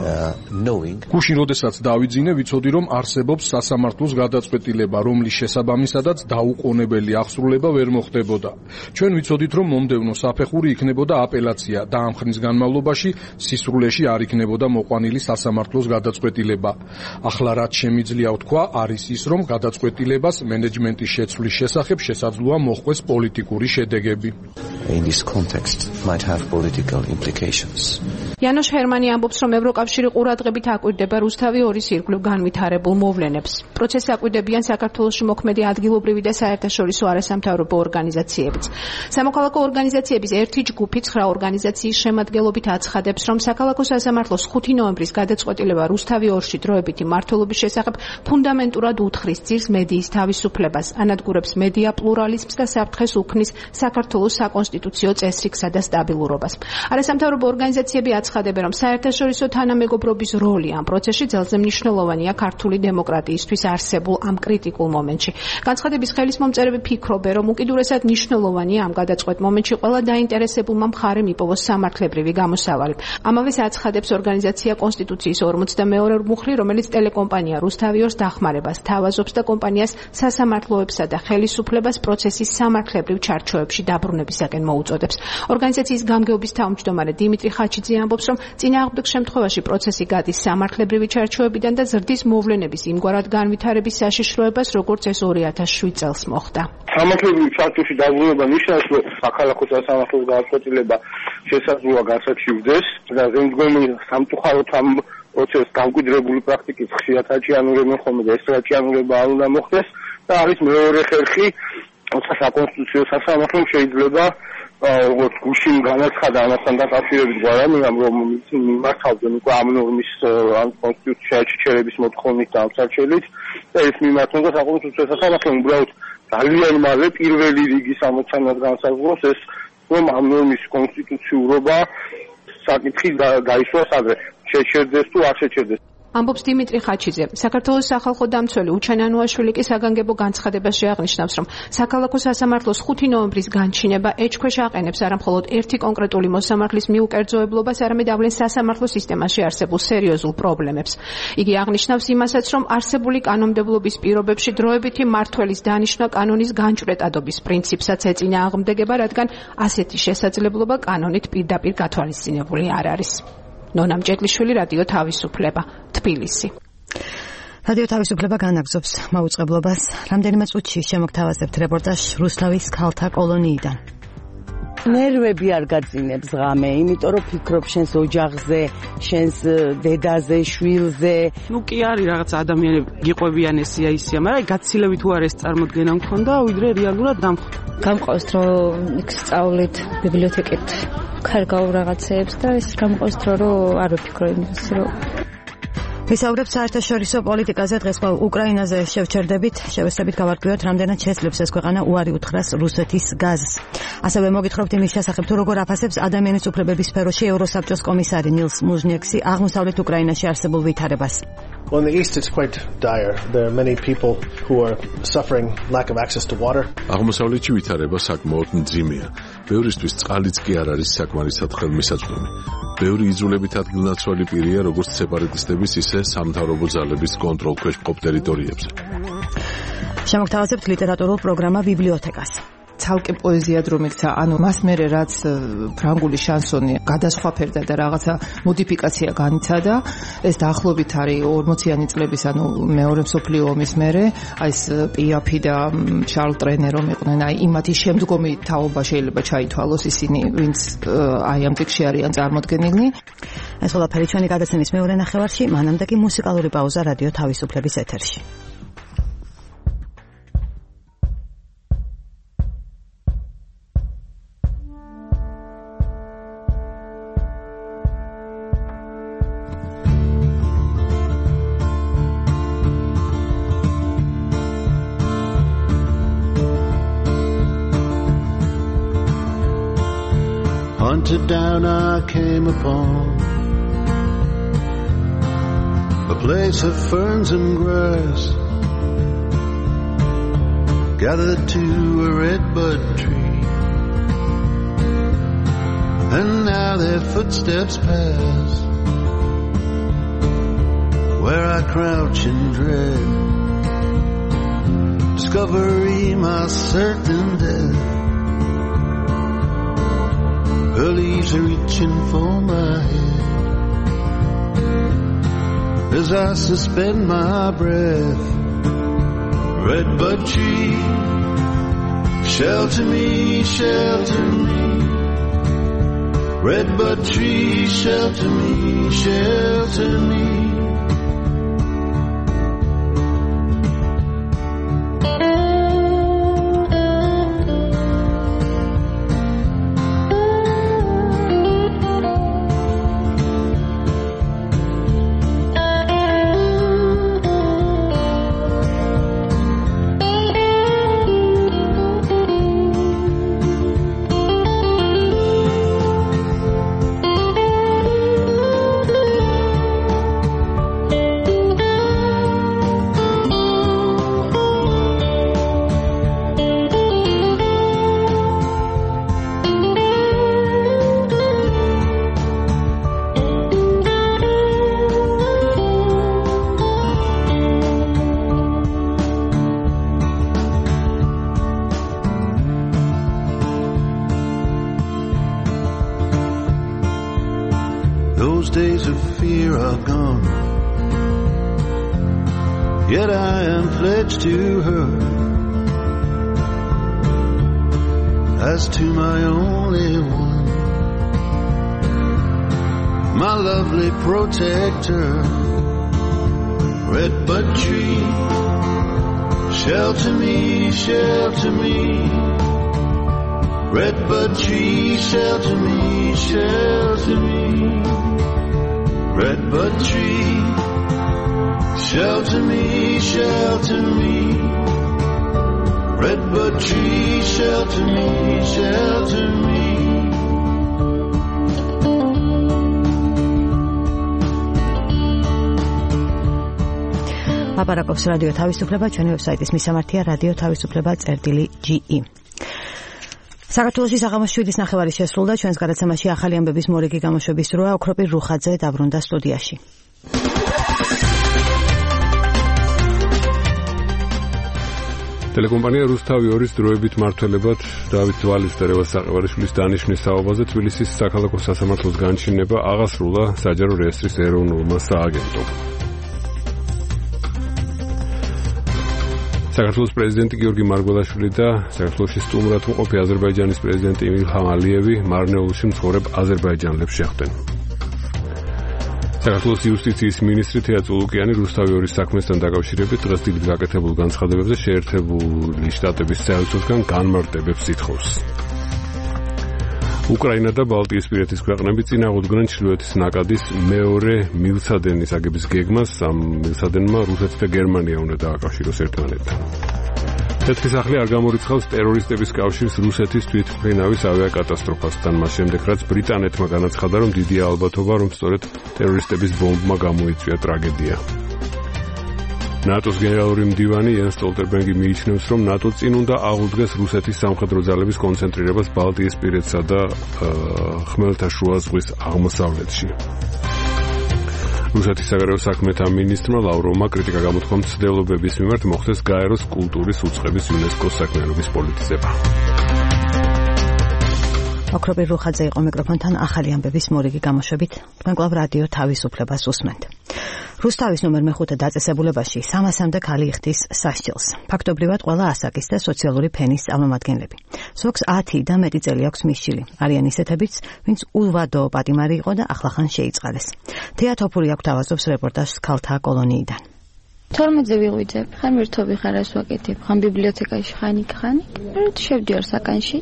გუშინ როდესაც დავიძინე, ვიცოდი, რომ არსებობს სასამართლოს გადაწყვეტილება, რომლის შესაბამისადაც დაუყოვნებელი აღსრულება ვერ მოხდებოდა. ჩვენ ვიცოდით, რომ მომდევნო საფეხური იქნებოდა აპელაცია და ამ ხნის განმავლობაში სისრულეში არ იქნებოდა მოყვანილი სასამართლოს გადაწყვეტილება. ახლა რაც შემიძლია ვთქვა, არის ის, რომ გადაწყვეტილებას მენეჯმენტის შეცვლის შესახებ შესაძლოა მოჰყვეს პოლიტიკური შედეგები. In this context might have political implications. იანოშ ჰერმანი ამბობს, რომ ევროკავშირი ყურადღებით აკვირდება რუსთავი 2-ის ირგვლივ განვითარებულ მოვლენებს. პროცესს აკვირდებიან საქართველოში მოქმედი ადგილობრივი და საერთაშორისო არასამთავრობო ორგანიზაციებიც. სამოქალაქო ორგანიზაციების ერთი ჯგუფი 9 ორგანიზაციის შემადგენლობით აცხადებს, რომ საქალაქო სასამართლოს 5 ნოემბრის გადაწყვეტილება რუსთავი 2-ში დროებითი მმართველობის შესახებ ფუნდამენტურად უთხრის ძირს მედიის თავისუფლებას, ანადგურებს მედია პლურალიზმს და საფრთხეს უქმნის საქართველოს საკონსტიტუციო წესრიგსა და სტაბილურობას. არასამთავრობო ორგანიზაციები აცხადებენ, რომ საერთაშორისო თანამეგობრობის როლი ამ პროცესში ძალზე მნიშვნელოვანია ქართული დემოკრატიისთვის არსებულ ამ კრიტიკულ მომენტში. განცხადების ხელისმომწერები ფიქრობენ, რომ უკიდურესად მნიშვნელოვანია ამ გადაწყვეტ მომენტში ყველა დაინტერესებულმა მხარემ იპოვოს სამართლებრივი გამოსავალი. ამავეს აცხადებს ორგანიზაცია კონსტიტუციის 42 მუხლი, რომელიც ტელეკომპანია რუსთავი 2-ს დახმარებას თავაზობს და კომპანიას სასამართლოებსა და ხელისუფლებას პროცესის სამართლებრივ ჩარჩოებში დაბრუნებისაკენ მოუწოდებს. ორგანიზაციის გამგეობის თავმჯდომარე დიმიტრი ხაჩიძე ამბობს, რომ წინააღმდეგ შემთხვევაში პროცესი გადის სამართლებრივი ჩარჩოებიდან და ზრდის მოვლენების იმგვარად განვითარების საშიშროებას, როგორც ეს 2007 წელს მოხდა. სამართლებრივი ჩარჩოში დაბრუნება ნიშნავს, რომ საქალაქო სასამართლოს გადაწყვეტილება შესაძლოა გასაჩივრდეს და ზემდგომი სამწუხაროდ ამ პროცესს დამკვიდრებული პრაქტიკის ხშირად აჭიანურებენ ხოლმე და ეს აჭიანურება არ უნდა მოხდეს და არის მეორე ხერხი, როცა საკონსტიტუციო სასამართლომ შეიძლება როგორც გუშინ განაცხადა ამასთან დაკავშირებით გვარამიამ, რომ მიმართავდნენ უკვე ამ ნორმის ან კონსტიტუციაში ჩერების მოთხოვნით და ამსარჩელით ეს მიმართონ და საკუთრივ სასამართლომ უბრალოდ ძალიან მალე პირველი რიგის ამოცანას განსაზღვროს ეს, რომ ამ ნორმის კონსტიტუციურობა საკითხი გაისვას ადრე, შეჩერდეს თუ არ შეჩერდეს. ამბობს დიმიტრი ხაჩიძე. საქართველოს სახალხო დამცველი უჩანანუაშვილი კი საგანგებო განცხადებაში აღნიშნავს, რომ საქალაქო სასამართლოს 5 ნოემბრის განჩინება ეჭქვეშ აყენებს არა მხოლოდ ერთი კონკრეტული მოსამართლის მიუკერძოებლობას, არამედ ავლენს სასამართლო სისტემაში არსებულ სერიოზულ პრობლემებს. იგი აღნიშნავს იმასაც, რომ არსებული კანონმდებლობის პირობებში დროებითი მმართველის დანიშვნა კანონის განჭვრეტადობის პრინციპსაც ეწინააღმდეგება, რადგან ასეთი შესაძლებლობა კანონით პირდაპირ გათვალისწინებული არ არის. ნონა მჭედლიშვილი, რადიო თავისუფლება, თბილისი. რადიო თავისუფლება განაგზობს მაუწყებლობას. რამდენიმე წუთში შემოგთავაზებთ რეპორტაჟ რუსთავის ქალთა კოლონიიდან. ნერვები არ გაძინებს ღამე, იმიტომ რომ ფიქრობ შენს ოჯახზე, შენს დედაზე, შვილზე. ნუ კი არის რაღაც ადამიანები გიყვებიან ესია ისია, მაგრამ გაცილებით თუ არ ეს წარმოდგენა მქონდა, ვიდრე რეალურად დამხვდა. გამყავს რომ იქ სწავლით ბიბლიოთეკით ქარგავ რაღაცეებს და ეს გამყავს რომ არ ვფიქრო იმას რომ ვისაუბრებთ საერთაშორისო პოლიტიკაზე. დღეს უკრაინაზე შევჩერდებით, შევესწრებით გავარკვიოთ, რამდენად შეძლებს ეს ქვეყანა უარი უთხრას რუსეთის გაზს. ასევე მოგითხრობთ იმის შესახებ, თუ როგორ აფასებს ადამიანის უფლებების სფეროში ევროსაბჭოს კომისარი ნილს მუჟნიექსი აღმოსავლეთ უკრაინაში არსებულ ვითარებას. Well, in the east, it's quite dire. There are many people who are suffering lack of access to water. აღმოსავლეთში ვითარება საკმაოდ მძიმეა. ბევრისთვის წყალიც კი არ არის საკმარისად ხელმისაწვდომი. ბევრი იძულებით ადგილნაცვალი პირია, როგორც სეპარატისტების, ისე სამთავრობო ძალების კონტროლქვეშ მყოფ ტერიტორიებზე. შემოგთავაზებთ ლიტერატურულ პროგრამა ბიბლიოთეკას. ცალკე პოეზიად რომ იქცა, ანუ მას მერე რაც ფრანგული შანსონი გადასხვაფერდა და რაღაცა მოდიფიკაცია განიცადა, ეს დაახლოებით არის 40-იანი წლების, ანუ მეორე მსოფლიო ომის მერე, აი ეს პიაფი და შარლ ტრენე რომ იყვნენ, აი იმათი შემდგომი თაობა შეიძლება ჩაითვალოს ისინი, ვინც აი ამ ტექსტში არიან წარმოდგენილნი. ეს ყველაფერი ჩვენი გადაცემის მეორე ნახევარში, მანამდე კი მუსიკალური პაუზა რადიო თავისუფლების ეთერში. Hunted down I came upon a place of ferns and grass, gathered to a redbud tree, and now their footsteps pass where I crouch in dread, discovery my certain death. Her leaves are reaching for my head as I suspend my breath. Redbud tree, shelter me, shelter me. Redbud tree, shelter me, shelter me. Those days of fear are gone, yet I am pledged to her as to my only one, my lovely protector. Redbud tree, shelter me, shelter me. Redbud tree, shelter me, shelter me. Redbud tree, shelter me, shelter me. Redbud tree, shelter me, shelter me. აპარაკობს რადიო თავისუფლება, ჩვენი ვებსაიტის მისამართია radio-tavisupleba.ge. საქართველოში საღამოს 7-ის ნახევარი შესრულდა, ჩვენს გადაცემაში ახალი ამბების მორიგი გამოშვების დროა. ოქროპირ რუხაძე დაბრუნდა სტუდიაში. ტელეკომპანია რუსთავი 2-ის დროებით მმართველებად დავით დვალის და რევაზ საყევარიშვილის დანიშვნის საუბაზე თბილისის საქალაქო სასამართლოს განჩინება აღასრულა საჯარო რეესტრის ეროვნულმა სააგენტომ. საქართველოს პრეზიდენტი გიორგი მარგველაშვილი და საქართველოში სტუმრად მყოფი აზერბაიჯანის პრეზიდენტი ილჰამ ალიევი მარნეულში მცხოვრებ აზერბაიჯანელებს შეხვდნენ. საქართველოს იუსტიციის მინისტრი თეა წულუკიანი რუსთავი 2-ის საქმესთან დაკავშირებით დღეს დილით გაკეთებულ განცხადებებზე შეერთებული შტატების საელჩოსგან განმარტებებს ითხოვს. უკრაინა და ბალტიისპირეთის ქვეყნები წინააღმდეგნენ ჩრდილოეთის ნაკადის მეორე მილსადენის აგების გეგმას. ამ მილსადენმა რუსეთს და გერმანია უნდა დააკავშიროს ერთმანეთთან. თეთრი სახლი არ გამორიცხავს ტერორისტების კავშირს რუსეთის თვითმფრინავის ავიაკატასტროფასთან, მას შემდეგ რაც ბრიტანეთმა განაცხადა, რომ დიდია ალბათობა, რომ სწორედ ტერორისტების ბომბმა გამოიწვია ტრაგედია. ნატოს გენერალური მდივანი იანს სტოლტენბერგი მიიჩნევს, რომ ნატო წინ უნდა აღუდგეს რუსეთის სამხედრო ძალების კონცენტრირებას ბალტიისპირეთსა და ხმელთაშუა ზღვის აღმოსავლეთში. რუსეთის საგარეო საქმეთა მინისტრმა ლავროვმა კრიტიკა გამოთქვა მცდელობების მიმართ მოხდეს გაეროს კულტურის უწყების იუნესკოს საქმიანობის პოლიტიზება. ოქროპირ რუხაძე იყო მიკროფონთან ახალი ამბების მორიგი გამოშვებით. თქვენ კვლავ რადიო თავისუფლებას უსმენთ. რუსთავის ნომერ მე-5 დაწესებულებაში 300-მდე ქალი იხდის სასჯელს. ფაქტობრივად ყველა ასაკის და სოციალური ფენის წარმომადგენლები. ზოგს 10 და მეტი წელი აქვს მისჯილი. არიან ისეთებიც, ვინც ულვადო პატიმარი იყო და ახლახან შეიწყალეს. თეა თოფური აქვს თავაზობს რეპორტაჟს ქალთა კოლონიიდან. 12-ზე ვიღვიძებ, ხან მირთობი ხარ ეს ვაკეთებ, ხან ბიბლიოთეკაში ხანი. შევდივარ საკანში.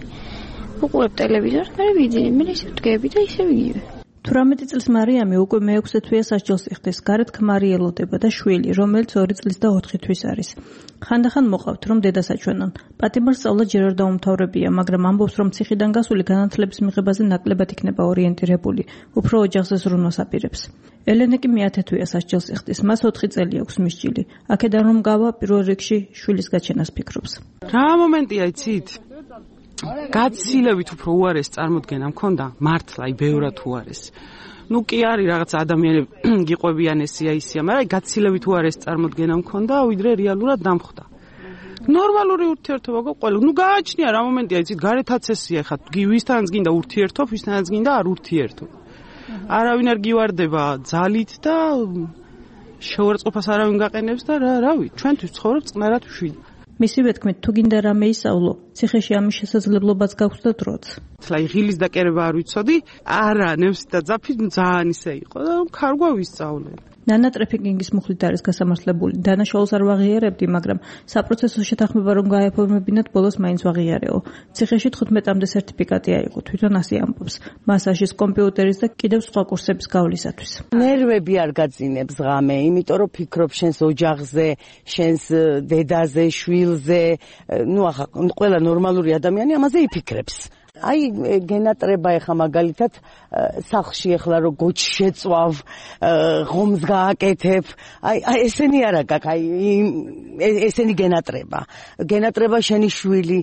უყურებ ტელევიზორს, მე ვიძინე, მე ისე ვდგები და ისე ვიგივე. 18 წლის მარიამი უკვე მე-6 თვეა სასჯელს იხდის. გარეთ ქმარი ელოდება და შვილი, რომელიც 2 წლის და 4 თვის არის. ხანდახან მოყავთ, რომ დედას აჩვენონ. პატიმარს სწავლა ჯერ არ დაუმთავრებია, მაგრამ ამბობს, რომ ციხიდან გასული განათლების მიღებაზე ნაკლებად იქნება ორიენტირებული. უფრო ოჯახზე ზრუნვას აპირებს. ელენე კი მე-10 თვეა სასჯელს იხდის. მას 4 წელი აქვს მისჯილი. აქედან რომ გავა, პირველ რიგში შვილის გაჩენას ფიქრობს. რა მომენტია იცით? გაცილებით უფრო უარეს წარმოდგენა მქონდა, მართლა, ბევრად უარეს. კი არის რაღაც ადამიანები გიყვებიან ესია, მაგრამ გაცილებით უარეს წარმოდგენა მქონდა, ვიდრე რეალურად დამხვდა. ნორმალური ურთიერთობა ყველა. გააჩნია რა მომენტია, იცით, გარეთ აცესია ხა, ვისთანაც გინდა ურთიერთობ, ვისთანაც გინდა არ ურთიერთობ. არავინ არ გივარდება ძალით და შეურაცხყოფას არავინ გაყენებს და რავი, ჩვენთვის ცხოვრობ წყნარად მშვიდად. მისივე თქმით, თუ გინდა რამე ისწავლო, ციხეში ამის შესაძლებლობაც გაქვს და დროც. ღილის დაკერება არ ვიცოდი, არა, ნემსი და ძაფი ძალიან ისე იყო და ქარგვა ვისწავლე. ნანა ტრეფიკინგის მუხლით არის გასამართლებული. დანაშაულს არ ვაღიარებდი, მაგრამ საპროცესო შეთანხმება რომ გაეფორმებინათ, ბოლოს მაინც ვაღიარეო. ციხეში 15-მდე სერტიფიკატი აიღო, თვითონ ასე ამბობს. მასაჟის, კომპიუტერის და კიდევ სხვა კურსების გავლისათვის. ნერვები არ გაძინებს ღამე, იმიტომ რომ ფიქრობ შენს ოჯახზე, შენს დედაზე, შვილზე, ახლა ყველა ნორმალური ადამიანი ამაზე იფიქრებს. გენატრება ეხა მაგალითად სახლში ეხლა რო გოჩ შეწვავ, ღომს გააკეთებ, ესენი არა გაქვს, ესენი გენატრება შენი შვილი,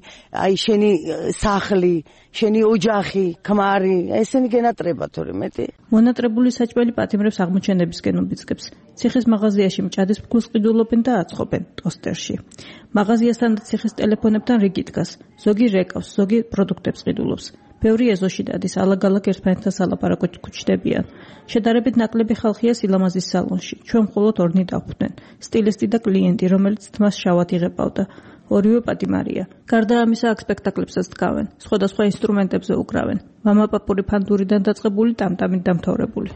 შენი სახლი, შენი ოჯახი, ქმარი, ესენი გენატრება თორე მეტი. მონატრებული საჭმელი პატიმრებს აღმოჩენებისკენ უბიძგებს. ციხის მაღაზიაში მჭადის ფქვილს ყიდულობენ და აწყობენ ტოსტერში. მაღაზიასთან და ციხის ტელეფონებთან რიგი დგას. ზოგი რეკავს, ზოგი პროდუქტებს ყიდულობს. ბევრი ეზოში დადის, ალაგ-ალაგ ერთმანეთთან სალაპარაკოდ გვჩნდებიან. შედარებით ნაკლები ხალხია სილამაზის სალონში. ჩვენ მხოლოდ ორნი დავხვდნენ. სტილისტი და კლიენტი, რომელიც თმას შავად იღებავდა. ორივე პატიმარია. გარდა ამისა, აქ სპექტაკლებსაც დგავენ. სხვადასხვა ინსტრუმენტებზე უკრავენ. მამაპაპური ფანდურიდან დაწყებული, ტამტამით დამთავრებული.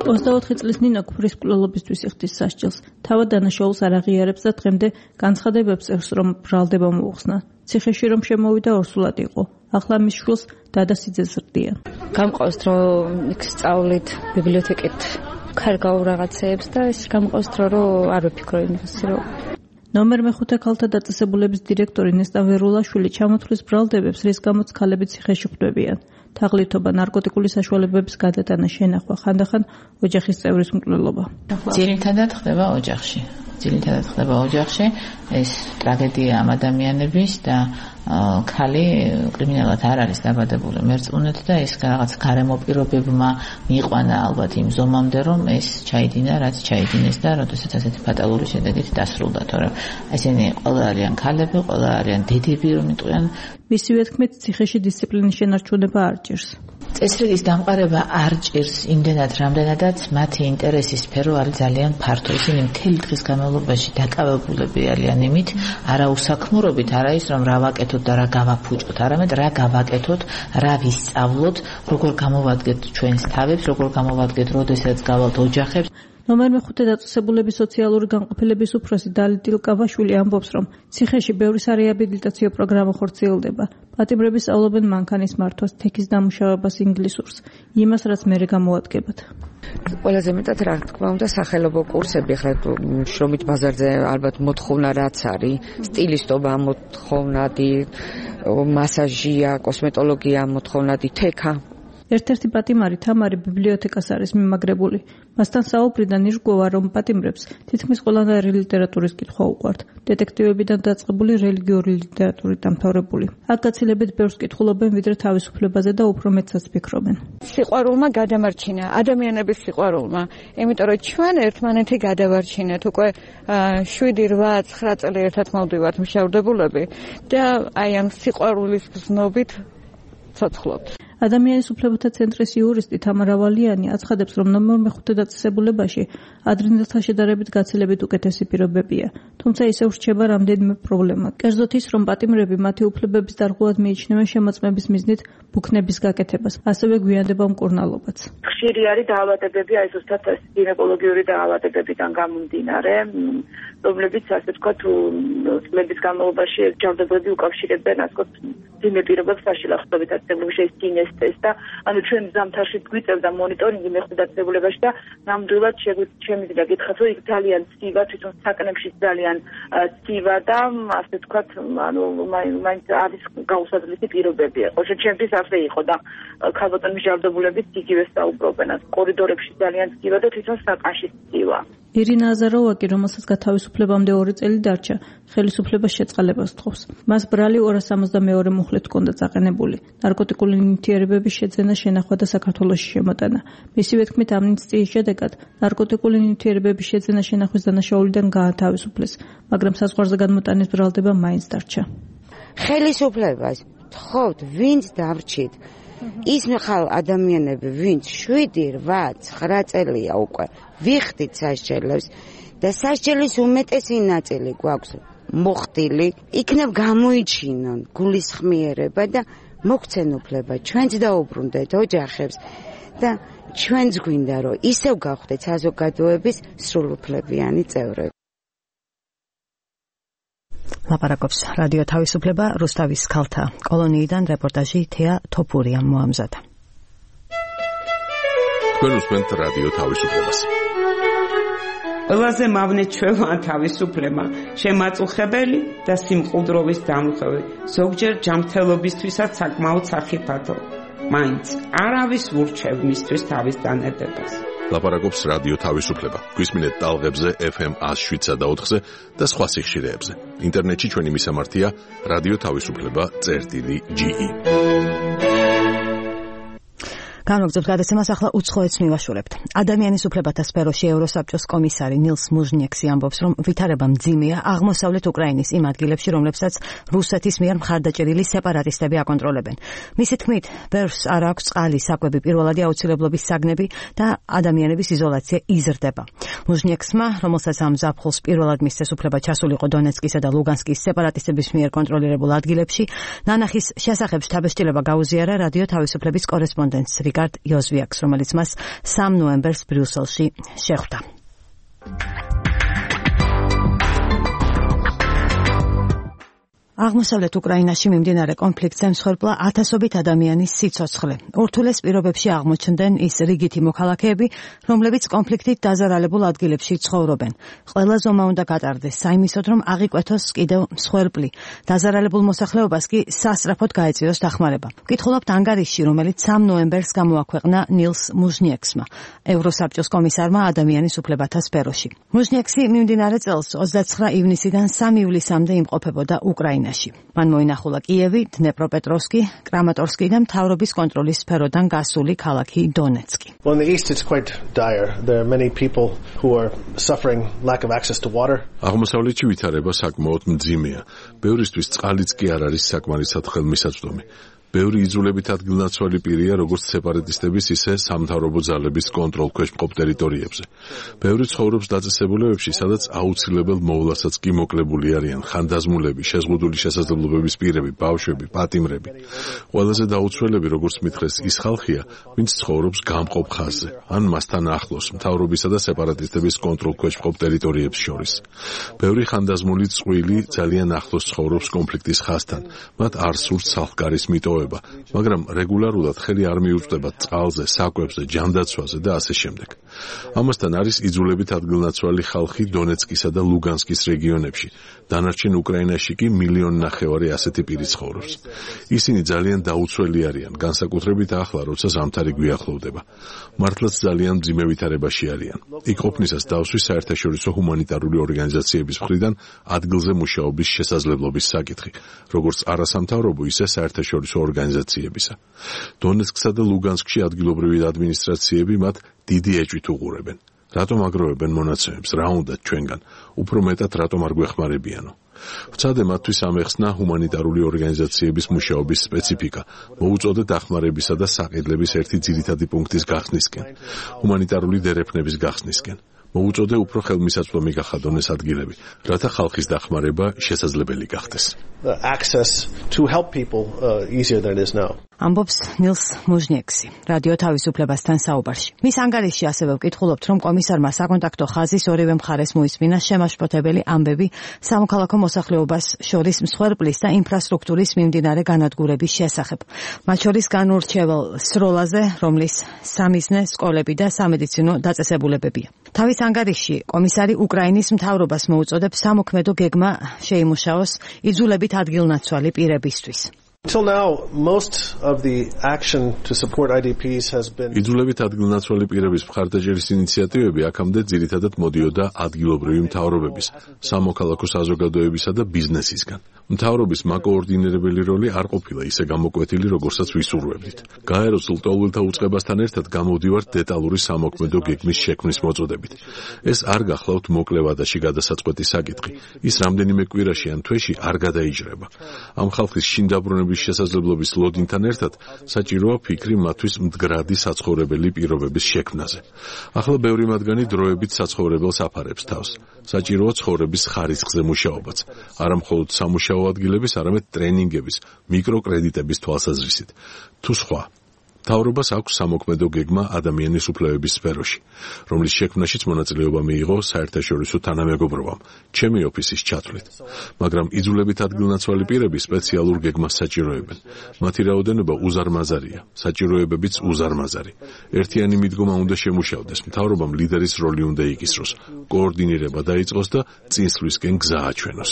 24 წლის ნინო კვრის მკვლელობისთვის იხდის სასჯელს. თავად დანაშაულს არ აღიარებს და დღემდე განცხადებებს წერს, რომ ბრალდება მოუხსნა. ციხეში რომ შემოვიდა ორსულად იყო. ახლა მის შვილს დადასიძეს ზრდიან. გამყავს რომ იქ სწავლით ბიბლიოთეკით ქარგავ რაღაცეებს და ეს გამყავს რომ არ ვფიქრო იმას რომ ნომერ მე-5 ქალთა დაწესებულების დირექტორი ნესტა ვერულაშვილი ჩამოთვლის ბრალდებებს, რის გამოც ქალები ციხეში ხვდებიან. თაღლითობა, ნარკოტიკული საშუალებების გადატანა, შენახვა, ხანდახან ოჯახის წევრის მკვლელობა. ძირითადად ხდება ოჯახში. ეს ტრაგედია ამ ადამიანების და ქალი კრიმინალად არ არის დაბადებული მერწმუნედ და ეს რაღაც გარემო პირობებმა მიიყვანა ალბათ იმ ზომამდე, რომ ეს ჩაიდინა, რაც ჩაიდინეს და როდესაც ასეთი ფატალური შედეგით დასრულდა, თორემ ესენი ყველა არიან ქალები, ყველა არიან დედები, რომ იტყვიან. მისივე თქმით, ციხეში დისციპლინის შენარჩუნება არ ჭირს. წესრიგის დამყარება არ ჭირს იმდენად, რამდენადაც მათი ინტერესის სფერო არის ძალიან ფართო. ისინი მთელი დღის განმავლობაში დაკავებულები არიან იმით, არა უსაქმურობით, არა ის, რომ რა ვაკეთოთ და რა გავაფუჭოთ, არამედ რა გავაკეთოთ, რა ვისწავლოთ, როგორ გამოვადგეთ ჩვენს თავებს, როგორ გამოვადგეთ, როდესაც გავალთ ოჯახებს. ნომერ მე-5 დაწესებულების სოციალური განყოფილების უფროსი დალი დილკავაშვილი ამბობს, რომ ციხეში ბევრი სარეაბილიტაციო პროგრამა ხორციელდება. პატიმრები სწავლობენ მანქანის მართვას, თექის დამუშავებას, ინგლისურს, იმას, რაც მერე გამოადგებათ. ყველაზე მეტად რა თქმა უნდა სახელობო კურსები, ხა შრომით ბაზარზე ალბათ მოთხოვნა რაც არის, სტილისტობა მოთხოვნადი, მასაჟია, კოსმეტოლოგია მოთხოვნადი, თექა. ერთ-ერთი პატიმარი თამარი ბიბლიოთეკას არის მიმაგრებული. მასთან საუბრიდან ირკვევა, რომ პატიმრებს თითქმის ყველანაირი ლიტერატურის კითხვა უყვართ. დეტექტივებიდან დაწყებული რელიგიური ლიტერატურით დამთავრებული. აქ გაცილებით ბევრს კითხულობენ, ვიდრე თავისუფლებაზე და უფრო მეტსაც ფიქრობენ. სიყვარულმა გადამარჩინა, ადამიანების სიყვარულმა, იმიტომ რომ ჩვენ ერთმანეთი გადავარჩინეთ უკვე 7-8-9 წელი ერთად მოვდივართ მშავდებულები და აი ამ სიყვარულის გზნობით ცოცხლობთ. ადამიანის უფლებათა ცენტრის იურისტი თამარა ვალიანი აცხადებს, რომ ნომერ მე-5 დაწესებულებაში ადრინდელთან შედარებით გაცილებით უკეთესი პირობებია, თუმცა ისევ რჩება რამდენიმე პრობლემა. კერძოდ ის, რომ პატიმრები მათი უფლებების დარღვევად მიიჩნევენ შემოწმების მიზნით ბუქნების გაკეთებას, ასევე გვიანდება მკურნალობაც. ხშირი არის დაავადებები, აი ზუსტად გინეკოლოგიური დაავადებებიდან გამომდინარე, რომლებიც ასე ვთქვათ, წლების განმავლობაში ჯანმრთელობები უკავშირებენ ასე ვთქვათ ძიმე პირობებს საშილახდობით აცებლებაში ეს კინესტეს და ანუ ჩვენ ზამთარში გვიწევდა მონიტორინგი მე-5 დაწესებულებაში და ნამდვილად შემიძლია გითხრათ, რომ იქ ძალიან ცივა, თვითონ საკნებში ძალიან ცივა და ასე ვთქვათ, ანუ მაინც არის გაუსაძლისი პირობები. ოღონდ ჩემთვის ასე იყო და ქალბატონის ჯანმრთელობებით იგივე საუბრობენ, კორიდორებში ძალიან ცივა და თვითონ საკანში ცივა. ირინა აზაროვაკი, რომელსაც გათავისუფლებამდე 2 წელი დარჩა, ხელისუფლებას შეწყალებას თხოვს. მას ბრალი 262 მუხლით ჰქონდა წაყენებული. ნარკოტიკული ნივთიერებების შეძენა, შენახვა და საქართველოში შემოტანა. მისივე თქმით, ამნისტიის შედეგად ნარკოტიკული ნივთიერებების შეძენა, შენახვის დანაშაულიდან გაათავისუფლეს, მაგრამ საზღვარზე განმოტანის ბრალდება მაინც დარჩა. ხელისუფლებას თხოვთ, ვინც დავრჩით. ის ხალ ადამიანები, ვინც 7-8-9 წელია უკვე ვიხდით სასჯელებს და სასჯელის უმეტესი ნაწილი გვაქვს მოხდილი, იქნებ გამოიჩინონ გულისხმიერება და მოგცენ უფლება, ჩვენც დაუბრუნდეთ ოჯახებს და ჩვენც გვინდა, რომ ისევ გავხდეთ საზოგადოების სრულუფლებიანი წევრები. ლაპარაკობს რადიო თავისუფლება რუსთავის ქალთა კოლონიიდან რეპორტაჟი თეა თოფურიამ მოამზადა. თქვენ უსმენთ რადიო თავისუფლებას. ყველაზე მავნე ჩვევა თავისუფლება, შემაწუხებელი და სიმყუდროვის დამხევი, ზოგჯერ ჯანმრთელობისთვისაც საკმაოდ სახიფათო. მაინც არავის ურჩევ მისთვის თავის დანედებას. ლაპარაკობს რადიო თავისუფლება. გვისმინეთ ტალღებზე FM 107.4-ზე და სხვა სიხშირეებზე. ინტერნეტში ჩვენი მისამართია რადიო თავისუფლება.ge. განმოგწევთ გადაცემას, ახლა უცხოეთს მივაშურებთ. ადამიანის უფლებათა სფეროში ევროსაბჭოს კომისარი ნილს მუჟნიექსი ამბობს, რომ ვითარება მძიმეა აღმოსავლეთ უკრაინის იმ ადგილებში, რომლებსაც რუსეთის მიერ მხარდაჭერილი სეპარატისტები აკონტროლებენ. მისი თქმით, ბევრს არ აქვს წყალი, საკვები, პირველადი აუცილებლობის საგნები და ადამიანების იზოლაცია იზრდება. მუჟნიექსმა, რომელსაც ამ ზაფხულს პირველად მისცეს უფლება ჩასულიყო დონეცკისა და ლუგანსკის სეპარატისტების მიერ კონტროლირებულ ადგილებში, ნანახის შესახებ შთაბეჭდილება გაუზიარა რადიო თავისუფლების კორესპონდენტს რიკარდ იოზვიაკს, რომელიც მას 3 ნოემბერს ბრიუსელში შეხვდა. აღმოსავლეთ უკრაინაში მიმდინარე კონფლიქტზე მსხვერპლა ათასობით ადამიანის სიცოცხლე. ურთულეს პირობებში აღმოჩნდნენ ის რიგითი მოქალაქეები, რომლებიც კონფლიქტით დაზარალებულ ადგილებში ცხოვრობენ. ყველა ზომა უნდა გატარდეს საიმისოდ, რომ აღიკვეთოს კიდევ მსხვერპლი. დაზარალებულ მოსახლეობას კი სასწრაფოდ გაეწიოს დახმარება. ვკითხულობთ ანგარიშში, რომელიც 3 ნოემბერს გამოაქვეყნა ნილს მუჟნიექსმა, ევროსაბჭოს კომისარმა ადამიანის უფლებათა სფეროში. მუჟნიექსი მიმდინარე წელს 29 ივნისიდან 3 ივლისამდე იმყოფებოდა უკრაინაში. მან მოინახულა კიევი, დნეპროპეტროვსკი, კრამატორსკი და მთავრობის კონტროლის სფეროდან გასული ქალაქი დონეცკი. Well, in the east it's quite dire. There are many people who are suffering lack of access to water. აღმოსავლეთში ვითარება საკმაოდ მძიმეა. ბევრისთვის წყალიც კი არ არის საკმარისად ხელმისაწვდომი. ბევრი იძულებით ადგილნაცვალი პირია როგორც სეპარატისტების, ისე სამთავრობო ძალების კონტროლქვეშ მყოფ ტერიტორიებზე. ბევრი ცხოვრობს დაწესებულებებში, სადაც აუცილებელ მოვლასაც კი მოკლებული არიან ხანდაზმულები, შეზღუდული შესაძლებლობების პირები, ბავშვები, პატიმრები. ყველაზე დაუცველები, როგორც მითხრეს, ის ხალხია, ვინც ცხოვრობს გამყოფ ხაზზე, ან მასთან ახლოს, მთავრობისა და სეპარატისტების კონტროლქვეშ მყოფ ტერიტორიებს შორის. ბევრი ხანდაზმული წყვილი ძალიან ახლოს ცხოვრობს კონფლიქტის ხაზთან, მათ არ სურთ სახლკარის მიტოვება. მაგრამ რეგულარულად ხელი არ მიუწვდება წყალზე, საკვებზე, ჯანდაცვაზე და ასე შემდეგ. ამასთან არის იძულებით ადგილნაცვალი ხალხი დონეცკისა და ლუგანსკის რეგიონებში. დანარჩენ უკრაინაში კი 1,5 მილიონი ასეთი პირი ცხოვრობს. ისინი ძალიან დაუცველი არიან, განსაკუთრებით ახლა, როცა ზამთარი გვიახლოვდება. მართლაც ძალიან მძიმე ვითარებაში არიან. იქ ყოფნისას დავსვი საერთაშორისო ჰუმანიტარული ორგანიზაციების მხრიდან ადგილზე მუშაობის შესაძლებლობის საკითხი, როგორც არასამთავრობო, ისე საერთაშორისო ორგანიზაციებისა. დონეცკსა და ლუგანსკში ადგილობრივი ადმინისტრაციები მათ დიდი ეჭვით უყურებენ. რატომ აგროვებენ მონაცემებს, რა უნდათ ჩვენგან, უფრო მეტად რატომ არ გვეხმარებიანო? ვცადე მათთვის ამეხსნა ჰუმანიტარული ორგანიზაციების მუშაობის სპეციფიკა, მოუწოდე დახმარებისა და საყიდლების ერთი ძირითადი პუნქტის გახსნისკენ, ჰუმანიტარული დერეფნების გახსნისკენ. მოუწოდე უფრო ხელმისაწვდომი გახადონ ეს ადგილები, რათა ხალხის დახმარება შესაძლებელი გახდეს. Access to help people easier than it is now. ამბობს ნილს მუჟნიექსი, რადიო თავისუფლებასთან საუბარში. მის ანგარიშში ასევე ვკითხულობთ, რომ კომისარმა საკონტაქტო ხაზის ორივე მხარეს მოისმინა შემაშფოთებელი ამბები სამოქალაქო მოსახლეობას შორის მსხვერპლის და ინფრასტრუქტურის მიმდინარე განადგურების შესახებ. მათ შორის განურჩევალ სროლაზე, რომლის სამიზნე, სკოლები და სამედიცინო დაწესებულებებია. თავის ანგარიშში კომისარი უკრაინის მთავრობას მოუწოდებს სამოქმედო გეგმა შეიმუშაოს იძულებით ადგილნაცვალი პირებისთვის. Until now, most of the action to support IDPs has been იძულებით ადგილნაცვალი პირების მხარდაჭერის ინიციატივები აქამდე ძირითადად მოდიოდა ადგილობრივი მთავრობების, სამოქალაქო საზოგადოებისა და ბიზნესისგან. მთავრობის მაკოორდინირებელი როლი არ ყოფილა ისე გამოკვეთილი, როგორცაც ვისურვებდით. გაეროს ლტოლვილთა უწყებასთან ერთად გამოვდივართ დეტალური სამოქმედო გეგმის შექმნის მოწოდებით. ეს არ გახლავთ მოკლე ვადაში გადასაწყვეტი საკითხი. ის რამდენიმე კვირაში ან თვეში არ გადაიჯრება. ამ ხალხის შინდაბრუნების შესაძლებლობის ლოდინთან ერთად საჭიროა ფიქრი მათთვის მდგრადი საცხოვრებელი პირობების შექმნაზე. ახლა ბევრი მათგანი დროებით საცხოვრებელს აფარებს თავს. საჭიროა ცხოვრების ხარისხზე მუშაობაც. არა მხოლოდ სამუშაო ადგილების, არამედ ტრენინგების, მიკროკრედიტების თვალსაზრისით. თუ სხვა მთავრობას აქვს სამოქმედო გეგმა ადამიანის უფლებების სფეროში, რომლის შექმნაშიც მონაწილეობა მიიღო საერთაშორისო თანამეგობრობამ, ჩემი ოფისის ჩათვლით. მაგრამ იძულებით ადგილნაცვალი პირები სპეციალურ გეგმას საჭიროებენ. მათი რაოდენობა უზარმაზარია, საჭიროებებიც უზარმაზარი. ერთიანი მიდგომა უნდა შემუშავდეს, მთავრობამ ლიდერის როლი უნდა იკისროს, კოორდინირება დაიწყოს და წინსვლისკენ გზა აჩვენოს.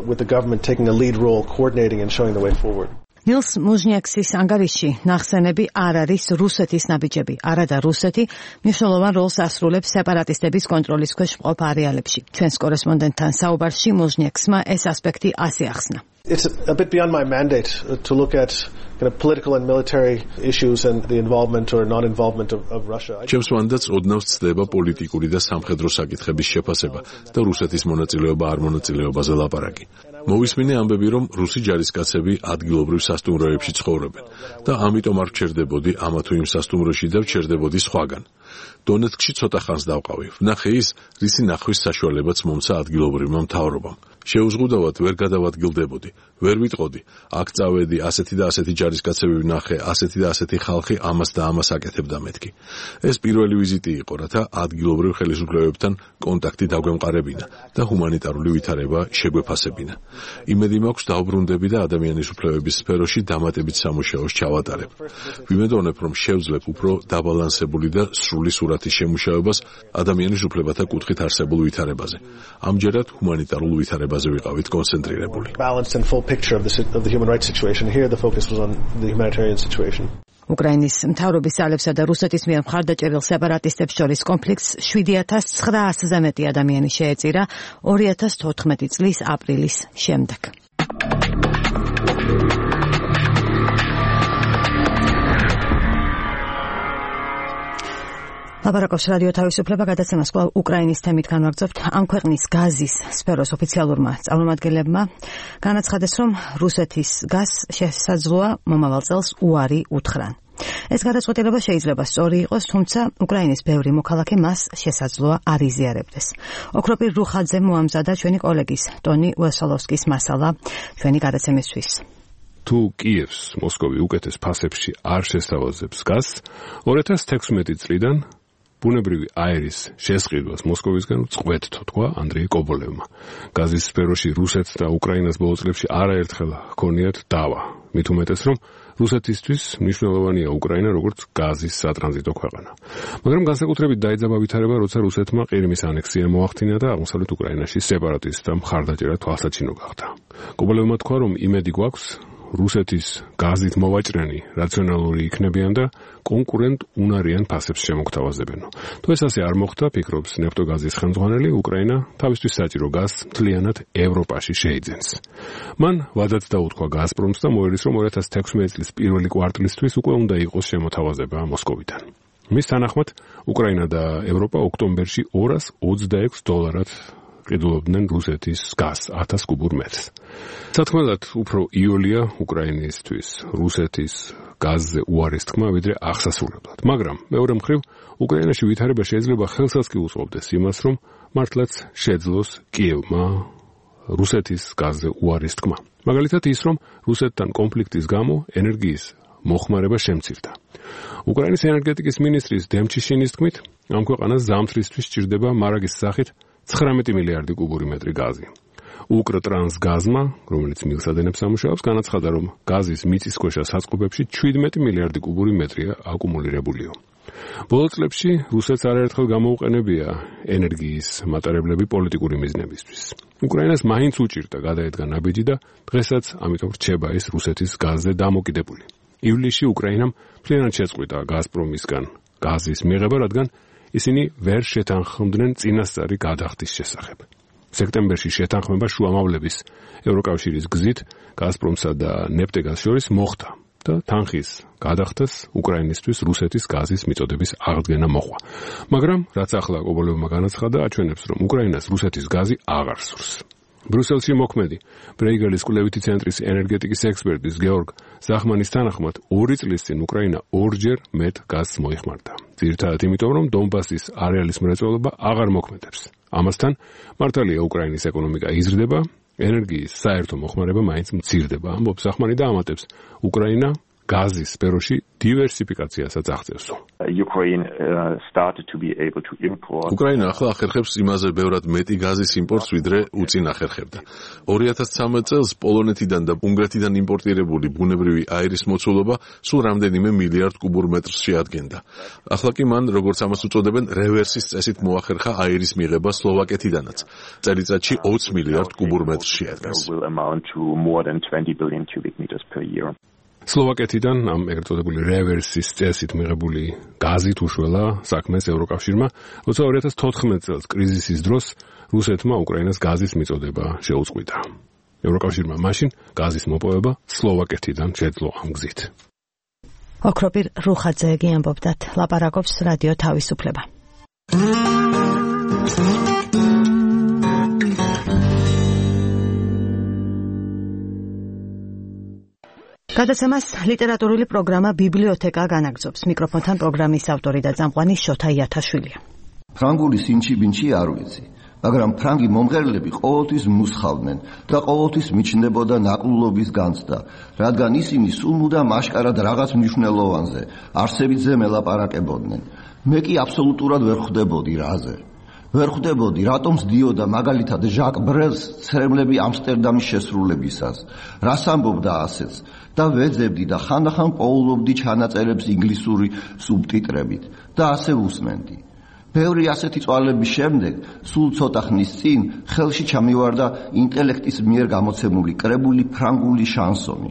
With the government taking a lead role, coordinating and showing the way forward. ნილს მუჟნიექსის ანგარიშში ნახსენები არ არის რუსეთის ნაბიჯები. არადა რუსეთი მნიშვნელოვან როლს ასრულებს სეპარატისტების კონტროლის ქვეშ მყოფ არეალებში. ჩვენს კორესპონდენტთან საუბარში მუჟნიექსმა ეს ასპექტი ასე ახსნა. It's a bit beyond my mandate to look at kind of political and military issues and the involvement or non-involvement of Russia. ჩემს მანდატს ოდნავ ცდება პოლიტიკური და სამხედრო საკითხების შეფასება და რუსეთის მონაწილეობა არ მონაწილეობაზე ლაპარაკი. მოვისმინე ამბები, რომ რუსი ჯარისკაცები ადგილობრივ სასტუმროებში ცხოვრობენ და ამიტომ არ ვჩერდებოდი ამა თუ იმ სასტუმროში და ვჩერდებოდი სხვაგან. დონეცკში ცოტა ხანს დავყავი. ვნახე ის, რისი ნახვის საშუალებაც მომცა ადგილობრივმა მთავრობამ. შეუზღუდავად ვერ გადავადგილდებოდი, ვერ ვიტყოდი, აქ წავედი, ასეთი და ასეთი ჯარისკაცები ვნახე, ასეთი და ასეთი ხალხი ამას და ამას აკეთებდა მეთქი. ეს პირველი ვიზიტი იყო, რათა ადგილობრივ ხელისუფლებებთან კონტაქტი დაგვემყარებინა და ჰუმანიტარული ვითარება შეგვეფასებინა. იმედი მაქვს დავბრუნდები და ადამიანის უფლებების სფეროში დამატებით სამუშაოს ჩავატარებ. ვიმედოვნებ, რომ შევძლებ უფრო დაბალანსებული და სრული სურათის შემუშავებას ადამიანის უფლებათა კუთხით არსებულ ვითარებაზე. ამჯერად ჰუმანიტარულ ვითარებაზე ვიყავით კონცენტრირებული. უკრაინის მთავრობის ძალებსა და რუსეთის მიერ მხარდაჭერილ სეპარატისტებს შორის კონფლიქტს 7900-ზე მეტი ადამიანი შეეწირა 2014 წლის აპრილის შემდეგ. ლაპარაკობს რადიო თავისუფლება, გადაცემას კვლავ უკრაინის თემით განვაგრძობთ. ამ ქვეყნის გაზის სფეროს ოფიციალურმა წარმომადგენლებმა განაცხადეს, რომ რუსეთის გაზს შესაძლოა მომავალ წელს უარი უთხრან. ეს გადაწყვეტილება შეიძლება სწორი იყოს, თუმცა უკრაინის ბევრი მოქალაქე მას შესაძლოა არ იზიარებდეს. ოქროპირ რუხაძემ მოამზადა ჩვენი კოლეგის ტონი უესოლოვსკის მასალა ჩვენი გადაცემისთვის. თუ კიევს მოსკოვი უკეთეს ფასებში არ შესთავაზებს გაზს, 2016 წლიდან ბუნებრივი აერის შესყიდვას მოსკოვისგან წყვეტთო, თქვა ანდრეი კობოლევმა. გაზის სფეროში რუსეთს და უკრაინას ბოლო წლებში არაერთხელ ჰქონიათ დავა. მით უმეტეს, რომ რუსეთისთვის მნიშვნელოვანია უკრაინა როგორც გაზის სატრანზიტო ქვეყანა. მაგრამ განსაკუთრებით დაიძაბა ვითარება, როცა რუსეთმა ყირიმის ანექსია მოახდინა და აღმოსავლეთ უკრაინაში სეპარატისტთა მხარდაჭერა თვალსაჩინო გახდა. კობოლევმა თქვა, რომ იმედი გვაქვს რუსეთის გაზით მოვაჭრენი რაციონალური იქნებიან და კონკურენტ უნარიან ფასებს შემოგთავაზებენ. თუ ეს ასე არ მოხდა, ფიქრობს ნეფტოგაზის ხელმძღვანელი, უკრაინა თავისთვის საჭირო გაზს მთლიანად ევროპაში შეიძენს. მან ვადაც დაუთქვა გაზპრომს და მოერის, რომ 2016 წლის პირველი კვარტლისთვის უკვე უნდა იყოს შემოთავაზება მოსკოვიდან. მის თანახმად, უკრაინა და ევროპა ოქტომბერში $226 ყიდულობდნენ რუსეთის გაზს 1000 კუბურ მეტრს. სათქმელად უფრო იოლია უკრაინისთვის რუსეთის გაზზე უარის თქმა ვიდრე აღსასრულებლად. მაგრამ მეორე მხრივ უკრაინაში ვითარება შეიძლება ხელსაც კი უწყობდეს იმას, რომ მართლაც შეძლოს კიევმა რუსეთის გაზზე უარის თქმა. მაგალითად ის, რომ რუსეთთან კონფლიქტის გამო ენერგიის მოხმარება შემცირდა. უკრაინის ენერგეტიკის მინისტრის დემჩიშინის თქმით, ამ ქვეყანას ზამთრისთვის სჭირდება მარაგის სახით 19 მილიარდი კუბური მეტრი გაზი. უკრტრანსგაზმა, რომელიც მილსადენებს ამუშავებს, განაცხადა, რომ გაზის მიწისქვეშა საწყობებში 17 მილიარდი კუბური მეტრია აკუმულირებულიო. ბოლო წლებში რუსეთს არაერთხელ გამოუყენებია ენერგიის მატარებლები პოლიტიკური მიზნებისთვის. უკრაინას მაინც უჭირდა გადაედგა ნაბიჯი და დღესაც ამიტომ რჩება ის რუსეთის გაზზე დამოკიდებული. ივლისში უკრაინამ მთლიანად შეწყვიტა გაზპრომისგან გაზის მიღება, რადგან ისინი ვერ შეთანხმდნენ წინასწარი გადახდის შესახებ. სექტემბერში შეთანხმება შუამავლების ევროკავშირის გზით გაზპრომსა და ნეფტეგაზს შორის მოხდა და თანხის გადახდას უკრაინისთვის რუსეთის გაზის მიწოდების აღდგენა მოყვა. მაგრამ რაც ახლა კობოლევმა განაცხადა, აჩვენებს, რომ უკრაინას რუსეთის გაზი აღარ სურს. ბრიუსელში მოქმედი ბრეიგელის კვლევითი ცენტრის ენერგეტიკის ექსპერტის გეორგ ზახმანის თანახმად 2 წლის წინ უკრაინა ორჯერ მეტ გაზს მოიხმარდა. ძირითადად იმიტომ, რომ დონბასის არეალის მრეწველობა აღარ მოქმედებს. ამასთან მართალია უკრაინის ეკონომიკა იზრდება, ენერგიის საერთო მოხმარება მაინც მცირდება. ამბობს ზახმანი და ამატებს, უკრაინა გაზის სფეროში დივერსიფიკაციასაც აღწევსო. უკრაინა ახლა ახერხებს იმაზე ბევრად მეტი გაზის იმპორტს, ვიდრე უწინ ახერხებდა. 2013 წელს პოლონეთიდან და უნგრეთიდან იმპორტირებული ბუნებრივი აირის მოცულობა სულ რამდენიმე მილიარდ კუბურ მეტრს შეადგენდა. ახლა კი მან, როგორც ამას უწოდებენ, რევერსის წესით მოახერხა აირის მიღება სლოვაკეთიდანაც. წელიწადში 20 მილიარდ კუბურ მეტრს შეადგენს. სლოვაკეთიდან ამ ეგრეთ წოდებული რევერსის წესით მიღებული გაზით უშველა საქმეს ევროკავშირმა, როცა 2014 წელს კრიზისის დროს რუსეთმა უკრაინას გაზის მიწოდება შეუწყვიტა. ევროკავშირმა მაშინ გაზის მოპოვება სლოვაკეთიდან შეძლო ამ გზით. ოქროპირ რუხაძე ამბობდათ, ლაპარაკობს რადიო თავისუფლება. გადაცემას ლიტერატურული პროგრამა ბიბლიოთეკა განაგრძობს. მიკროფონთან პროგრამის ავტორი და წამყვანი შოთა იათაშვილია. ფრანგული სინჩი-ბინჩი არ ვიცი. მაგრამ ფრანგი მომღერლები ყოველთვის მუსხავდნენ და ყოველთვის მიჩნდებოდა ნაკლულობის განცდა, რადგან ისინი სულ მუდამ აშკარად რაღაც მნიშვნელოვანზე, არსებითზე მელაპარაკებოდნენ. მე კი აბსოლუტურად ვერ ხვდებოდი რაზე. ვერ ხვდებოდი, რატომ სდიოდა მაგალითად ჟაკ ბრელს ცრემლები ამსტერდამის შესრულებისას, რას ამბობდა ასეც და ვეძებდი და ხანდახან პოულობდი ჩანაწერებს ინგლისური სუბტიტრებით და ასე უსმენდი. ბევრი ასეთი წვალების შემდეგ, სულ ცოტა ხნის წინ, ხელში ჩამივარდა ინტელექტის მიერ გამოცემული კრებული ფრანგული შანსონი,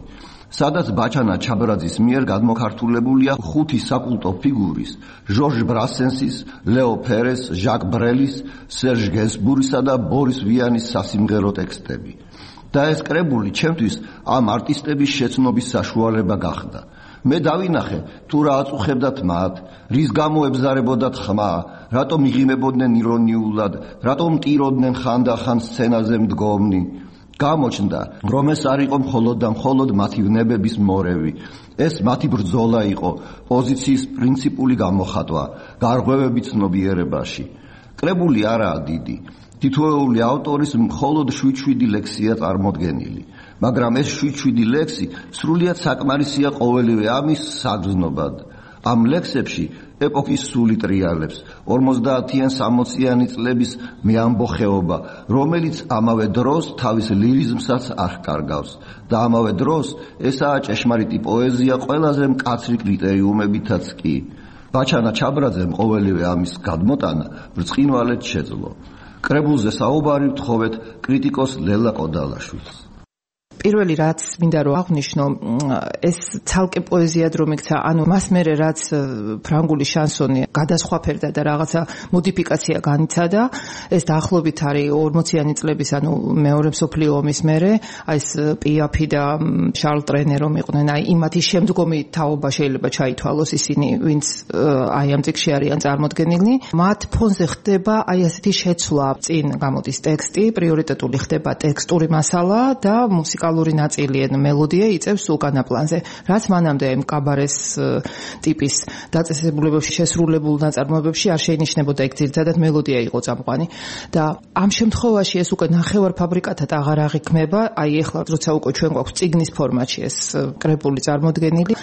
სადაც ბაჩანა ჩაბრაძის მიერ გადმოქართულებულია 5 საკულტო ფიგურის, ჟორჟ ბრასენსის, ლეო ფერეს, ჟაკ ბრელის, სერჟ გენსბურისა და ბორის ვიანის სასიმღერო ტექსტები. და ეს კრებული ჩემთვის ამ არტისტების შეცნობის საშუალება გახდა. მე დავინახე, თუ რა აწუხებდათ მათ, რის გამო ებზარებოდათ ხმა, რატომ იღიმებოდნენ ირონიულად, რატომ ტიროდნენ ხანდახან სცენაზე მდგომნი. გამოჩნდა, რომ ეს არ იყო მხოლოდ და მხოლოდ მათი ვნებების მორევი. ეს მათი ბრძოლა იყო, პოზიციის პრინციპული გამოხატვა, გარღვევები ცნობიერებაში. კრებული არაა დიდი. თითოეული ავტორის მხოლოდ 7 ლექსია წარმოდგენილი, მაგრამ ეს 7 ლექსი სრულიად საკმარისია ყოველივე ამის საგრძნობად. ამ ლექსებში ეპოქის სული ტრიალებს 50-იან 60-იანი წლების მეამბოხეობა, რომელიც ამავე დროს თავის ლირიზმსაც არ კარგავს და ამავე დროს ესაა ჭეშმარიტი პოეზია ყველაზე მკაცრი კრიტერიუმებითაც კი. ბაჩანა ჩაბრაძემ ყოველივე ამის გადმოტანა ბრწყინვალედ შეძლო. კრებულზე საუბარი ვთხოვეთ კრიტიკოს ლელა კოდალაშვილს. პირველი რაც მინდა რომ აღვნიშნო, ეს ცალკე პოეზიად რომ იქცა, ანუ მას მერე რაც ფრანგული შანსონი გადასხვაფერდა და რაღაცა მოდიფიკაცია განიცადა, ეს დაახლოებით არის 40-იანი წლების, ანუ მეორე მსოფლიო ომის მერე, აი ეს პიაფი და შარლ ტრენე რომ იყვნენ, აი იმათი შემდგომი თაობა შეიძლება ჩაითვალოს ისინი, ვინც აი ამ წიგნში არიან წარმოდგენილნი. მათ ფონზე ხდება აი ასეთი შეცვლა, წინ გამოდის ტექსტი, პრიორიტეტული ხდება ტექსტური მასალა და მუსიკალური ნაწილი ან მელოდია იწევს უკანა პლანზე, რაც მანამდე ამ კაბარეს ტიპის დაწესებულებებში შესრულებულ ნაწარმოებებში არ შეინიშნებოდა, ეგ ძირითადად მელოდია იყო წამყვანი და ამ შემთხვევაში ეს უკვე ნახევარფაბრიკათად აღარ აღიქმება, აი ეხლა როცა უკვე ჩვენ გვაქვს წიგნის ფორმატში ეს კრებული წარმოდგენილი,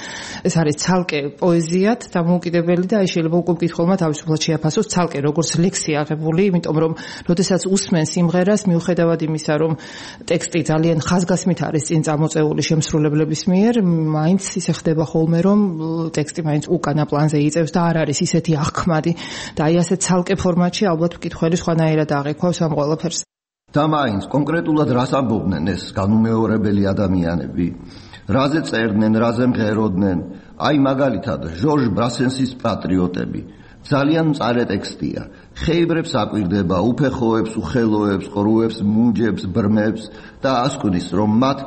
ეს არის ცალკე პოეზიად დამოუკიდებელი და აი შეიძლება უკვე მკითხველმა თავისუფლად შეაფასოს ცალკე როგორც ლექსი აღებული, იმიტომ რომ როდესაც უსმენ სიმღერას, მიუხედავად იმისა, რომ ტექსტი ძალიან ხაზგასმით არის წინ წამოწეული შემსრულებლების მიერ, მაინც ისე ხდება ხოლმე, რომ ტექსტი მაინც უკანა პლანზე იწევს და არ არის ისეთი აღქმადი და აი ასე ცალკე ფორმატში ალბათ მკითხველი სხვანაირად აღიქვავს ამ ყველაფერს. და მაინც კონკრეტულად რას ამბობდნენ ეს განუმეორებელი ადამიანები? რაზე წერდნენ, რაზე მღეროდნენ? აი მაგალითად ჟორჟ ბრასენსის პატრიოტები. ძალიან მწარე ტექსტია. ხეიბრებს აკვირდება, უფეხოებს, უხელოებს, ყრუებს, მუნჯებს, ბრმებს და ასკვნის, რომ მათ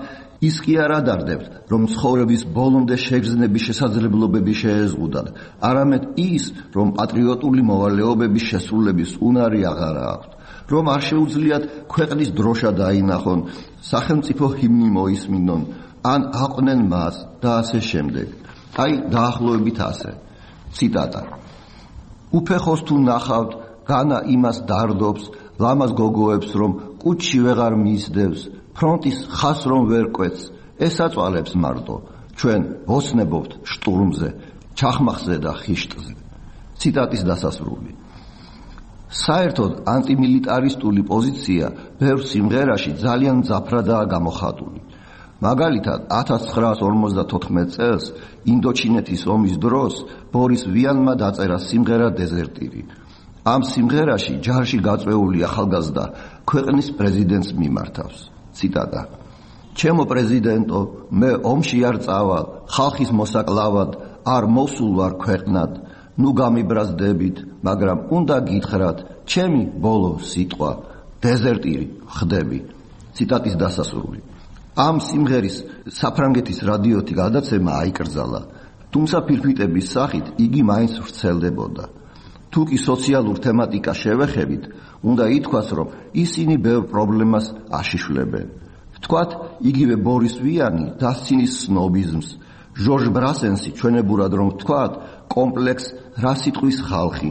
ის კი არ ადარდებთ, რომ ცხოვრების ბოლომდე შეგრძნების შესაძლებლობები შეეზღუდათ, არამედ ის, რომ პატრიოტული მოვალეობების შესრულების უნარი აღარა აქვთ, რომ არ შეუძლიათ ქვეყნის დროშა დაინახონ, სახელმწიფო ჰიმნი მოისმინონ, ან აყვნენ მას და ასე შემდეგ. აი დაახლოებით ასე. ციტატა. უფეხოს თუ ნახავთ, განა იმას დარდობს, ლამაზ გოგოებს რომ კუჩში ვეღარ მიისდევს, ფრონტის ხას რომ ვერ კვეთს, ეს აწვალებს მარტო, ჩვენ ვოცნებობთ შტურმზე, ჩახმახზე და ხიშტზე. ციტატის დასასრული. საერთოდ ანტიმილიტარისტული პოზიცია ბევრ სიმღერაში ძალიან მძაფრადაა გამოხატული. მაგალითად 1954 წელს ინდოჩინეთის ომის დროს ბორის ვიანმა დაწერა სიმღერა დეზერტირი. ამ სიმღერაში ჯარში გაწვეული ახალგაზრდა ქვეყნის პრეზიდენტს მიმართავს. ციტატა. ჩემო პრეზიდენტო, მე ომში არ წავალ, ხალხის მოსაკლავად, არ მოსულ ვარ ქვეყნად, ნუ გამიბრაზდებით, მაგრამ უნდა გითხრათ, ჩემი ბოლო სიტყვა, დეზერტირი ხდები. ციტატის დასასრული. ამ სიმღერის საფრანგეთის რადიოთი გადაცემა აიკრძალა, თუმცა ფირფიტების სახით იგი მაინც ვრცელდებოდა. თუ კი სოციალურ თემატიკას შევეხებით, უნდა ითქვას, რომ ისინი ბევრ პრობლემას აშიშვლებენ. ვთქვათ, იგივე ბორის ვიანი დასცინის სნობიზმს, ჟორჟ ბრასენსი ჩვენებურად რომ ვთქვათ, კომპლექს რა სიტყვის ხალხი,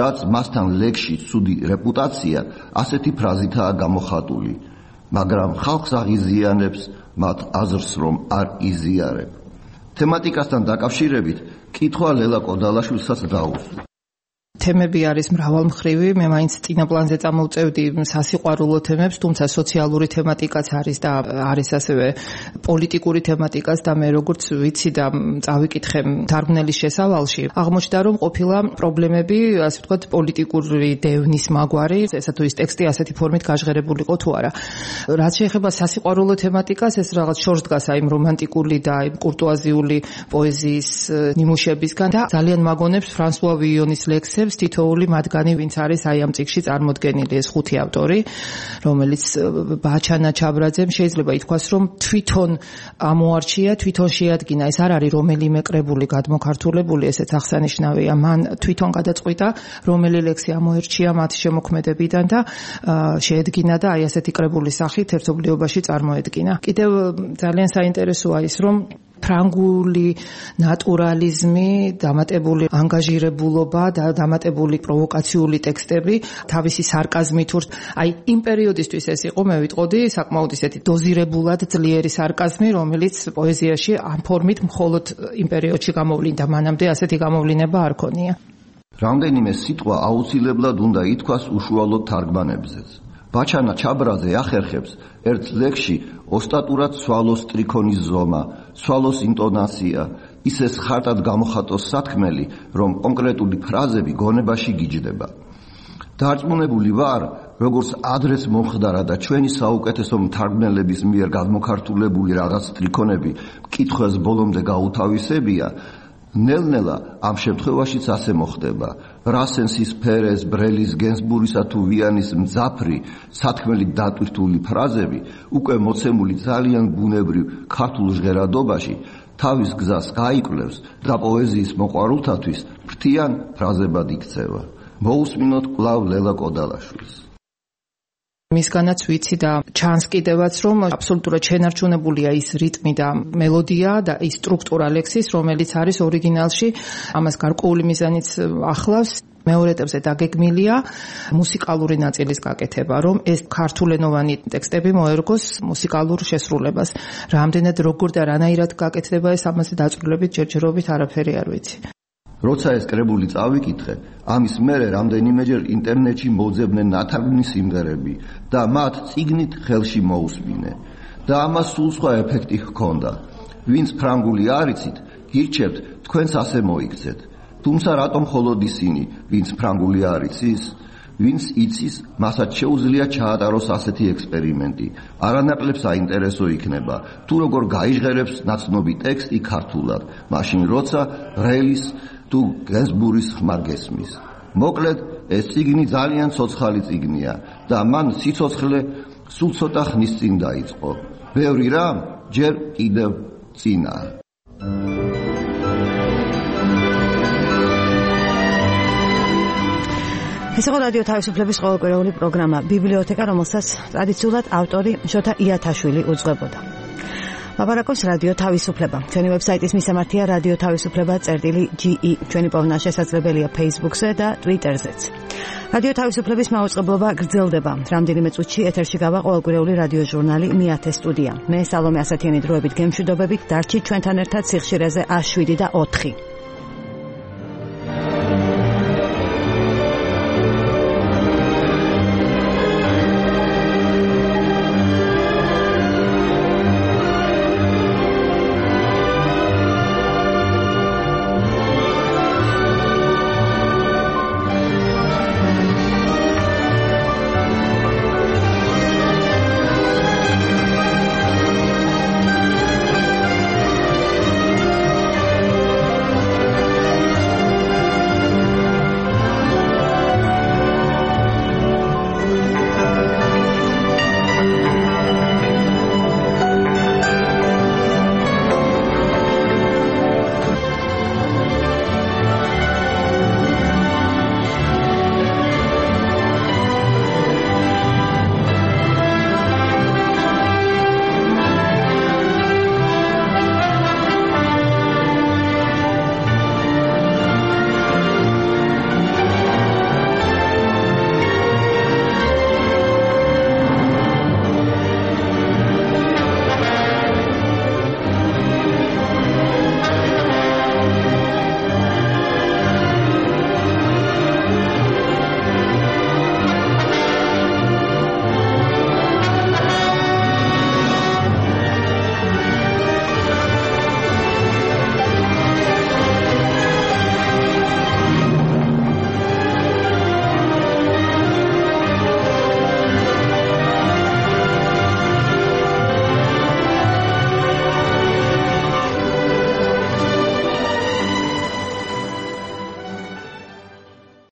რაც მასთან ლეგში ცუდი რეპუტაცია ასეთი ფრაზითაა გამოხატული, მაგრამ ხალხს აღიზიანებს მათ აზრს რომ არ იზიარებ. თემატიკასთან დაკავშირებით კითხვა ლელა კოდალაშვილსაც დაუსვა. თემები არის მრავალმხრივი, მე მაინც წინა პლანზე წამოვწევდი სასიყვარულო თემებს, თუმცა სოციალური თემატიკაც არის და არის ასევე პოლიტიკური თემატიკაც და მე როგორც ვიცი და წავიკითხე თარგმნელის შესავალში, აღმოჩნდა რომ ყოფილა პრობლემები, ასე ვთქვათ, პოლიტიკური დევნის მაგვარი, ესა თუ ის ტექსტი ასეთი ფორმით გაჟღერებულიყო თუ არა. რაც შეეხება სასიყვარულო თემატიკას, ეს რაღაც შორს დგას აი რომანტიკული და აი კურტუაზიული პოეზიის ნიმუშებისგან და ძალიან მაგონებს ფრანსუა ვიონის ლექსებს თითოეული მათგანი ვინც არის აი ამ წიგნში წარმოდგენილი ეს 5 ავტორი, რომელიც ბაჩანა ჩაბრაძემ შეიძლება ითქვას რომ თვითონ ამოარჩია, თვითონ შეადგინა, ეს არ არის რომელიმე კრებული გადმოქართულებული, ესეც აღსანიშნავია, მან თვითონ გადაწყვიტა რომელი ლექსი ამოერჩია მათი შემოქმედებიდან და შეედგინა და აი ასეთი კრებული სახით ერთობლიობაში წარმოედგინა. კიდევ ძალიან საინტერესოა ის რომ ფრანგული ნატურალიზმი, დამატებული ანგაჟირებულობა და დამატებული პროვოკაციული ტექსტები, თავისი სარკაზმით, აი იმ პერიოდისთვის ეს იყო, მე ვიტყოდი, საკმაოდ ისეთი დოზირებულად ძლიერი სარკაზმი, რომელიც პოეზიაში ამ ფორმით მხოლოდ იმ პერიოდში გამოვლინდა, მანამდე ასეთი გამოვლინება არ ქონია. რამდენიმე სიტყვა აუცილებლად უნდა ითქვას უშუალოდ თარგმანებზეც. ბაჩანა ჩაბრაძე ახერხებს ერთ ლექსში ოსტატურად სვალოს ტრიქონის ზომა, სვალოს ინტონაცია, ისე ხარტად გამოხატოს სათქმელი, რომ კონკრეტული ფრაზები გონებაში გიჯდება. დარწმუნებული ვარ, როგორც ადრეს მომხდარა და ჩვენი საუკეთესო მთარგმნელების მიერ გადმოქართულებული რაღაც ტრიქონები კითხვას ბოლომდე გაუთავისებია, ნელ-ნელა ამ შემთხვევაშიც ასე მოხდება. რასენსის, ფერეს, ბრელის, გენსბურისა თუ ვიანის მძაფრი, სათქმელით დატვირთული ფრაზები უკვე მოცემული ძალიან ბუნებრივ ქართულ ჟღერადობაში თავის გზას გაიკვლევს და პოეზიის მოყვარულთათვის ფრთიან ფრაზებად იქცევა. მოусმინოთ კვლავ ლელა კოდალაშვილს. მისგანაც ვიცი და ჩანს კიდევაც რომ აბსოლუტურად შენარჩუნებულია ის რიტმი და მელოდია და ის სტრუქტურა ლექსის, რომელიც არის ორიგინალში, ამას გარკვეული მიზანიც ახლავს. მეორე ეტაპზე დაგეგმილია მუსიკალური ნაწილის გაკეთება, რომ ეს ქართულენოვანი ტექსტები მოერგოს მუსიკალურ შესრულებას. რამდენად როგორ და რანაირად გაკეთდება ეს ამაზე დაწვრილებით ჯერჯერობით არაფერი არ ვიცი. როცა ეს კრებული წავიკითხე, ამის მერე რამდენიმეჯერ ინტერნეტში მოძებდნენ ნათარგმნის სიმღერები და მათ წიგნით ხელში მოусმინე. და ამას სულ სხვა ეფექტი ჰქონდა. ვინც ფრანგული არ იცით, გირჩევთ თქვენს ასე მოიქცეთ. თუმცა რატომ მხოლოდ ისინი, ვინც ფრანგული არ იცის? ვინც იცის, მასაც შეუძლია ჩაატაროს ასეთი ექსპერიმენტი. არანაკლებ საინტერესო იქნება, თუ როგორ გაიჟღერებს ნაცნობი ტექსტი ქართულად, მაშინ როცა რელის თუ გენსბურის ხმარ გესმის. მოკლედ, ეს წიგნი ძალიან ცოცხალი წიგნია და მან სიცოცხლე სულ ცოტა ხნის წინ დაიწყო. ბევრი რამ ჯერ კიდევ წინაა. ეს იყო რადიო თავისუფლების ყოველკვირეული პროგრამა ბიბლიოთეკა, რომელსაც ტრადიციულად ავტორი შოთა იათაშვილი უძღვებოდა. ლაპარაკობს რადიო თავისუფლება. ჩვენი ვებსაიტის მისამართია რადიო თავისუფლება.ge. ჩვენი პოვნა შესაძლებელია Facebook-ზე და Twitter-ზეც. რადიო თავისუფლების მაუწყებლობა გრძელდება. რამდენიმე წუთში ეთერში გავა ყოველკვირეული რადიო ჟურნალი მეათე სტუდია. მე სალომე ასათიანი დროებით გემშვიდობებით, დარჩით ჩვენთან ერთად სიხშირეზე 7 და 4.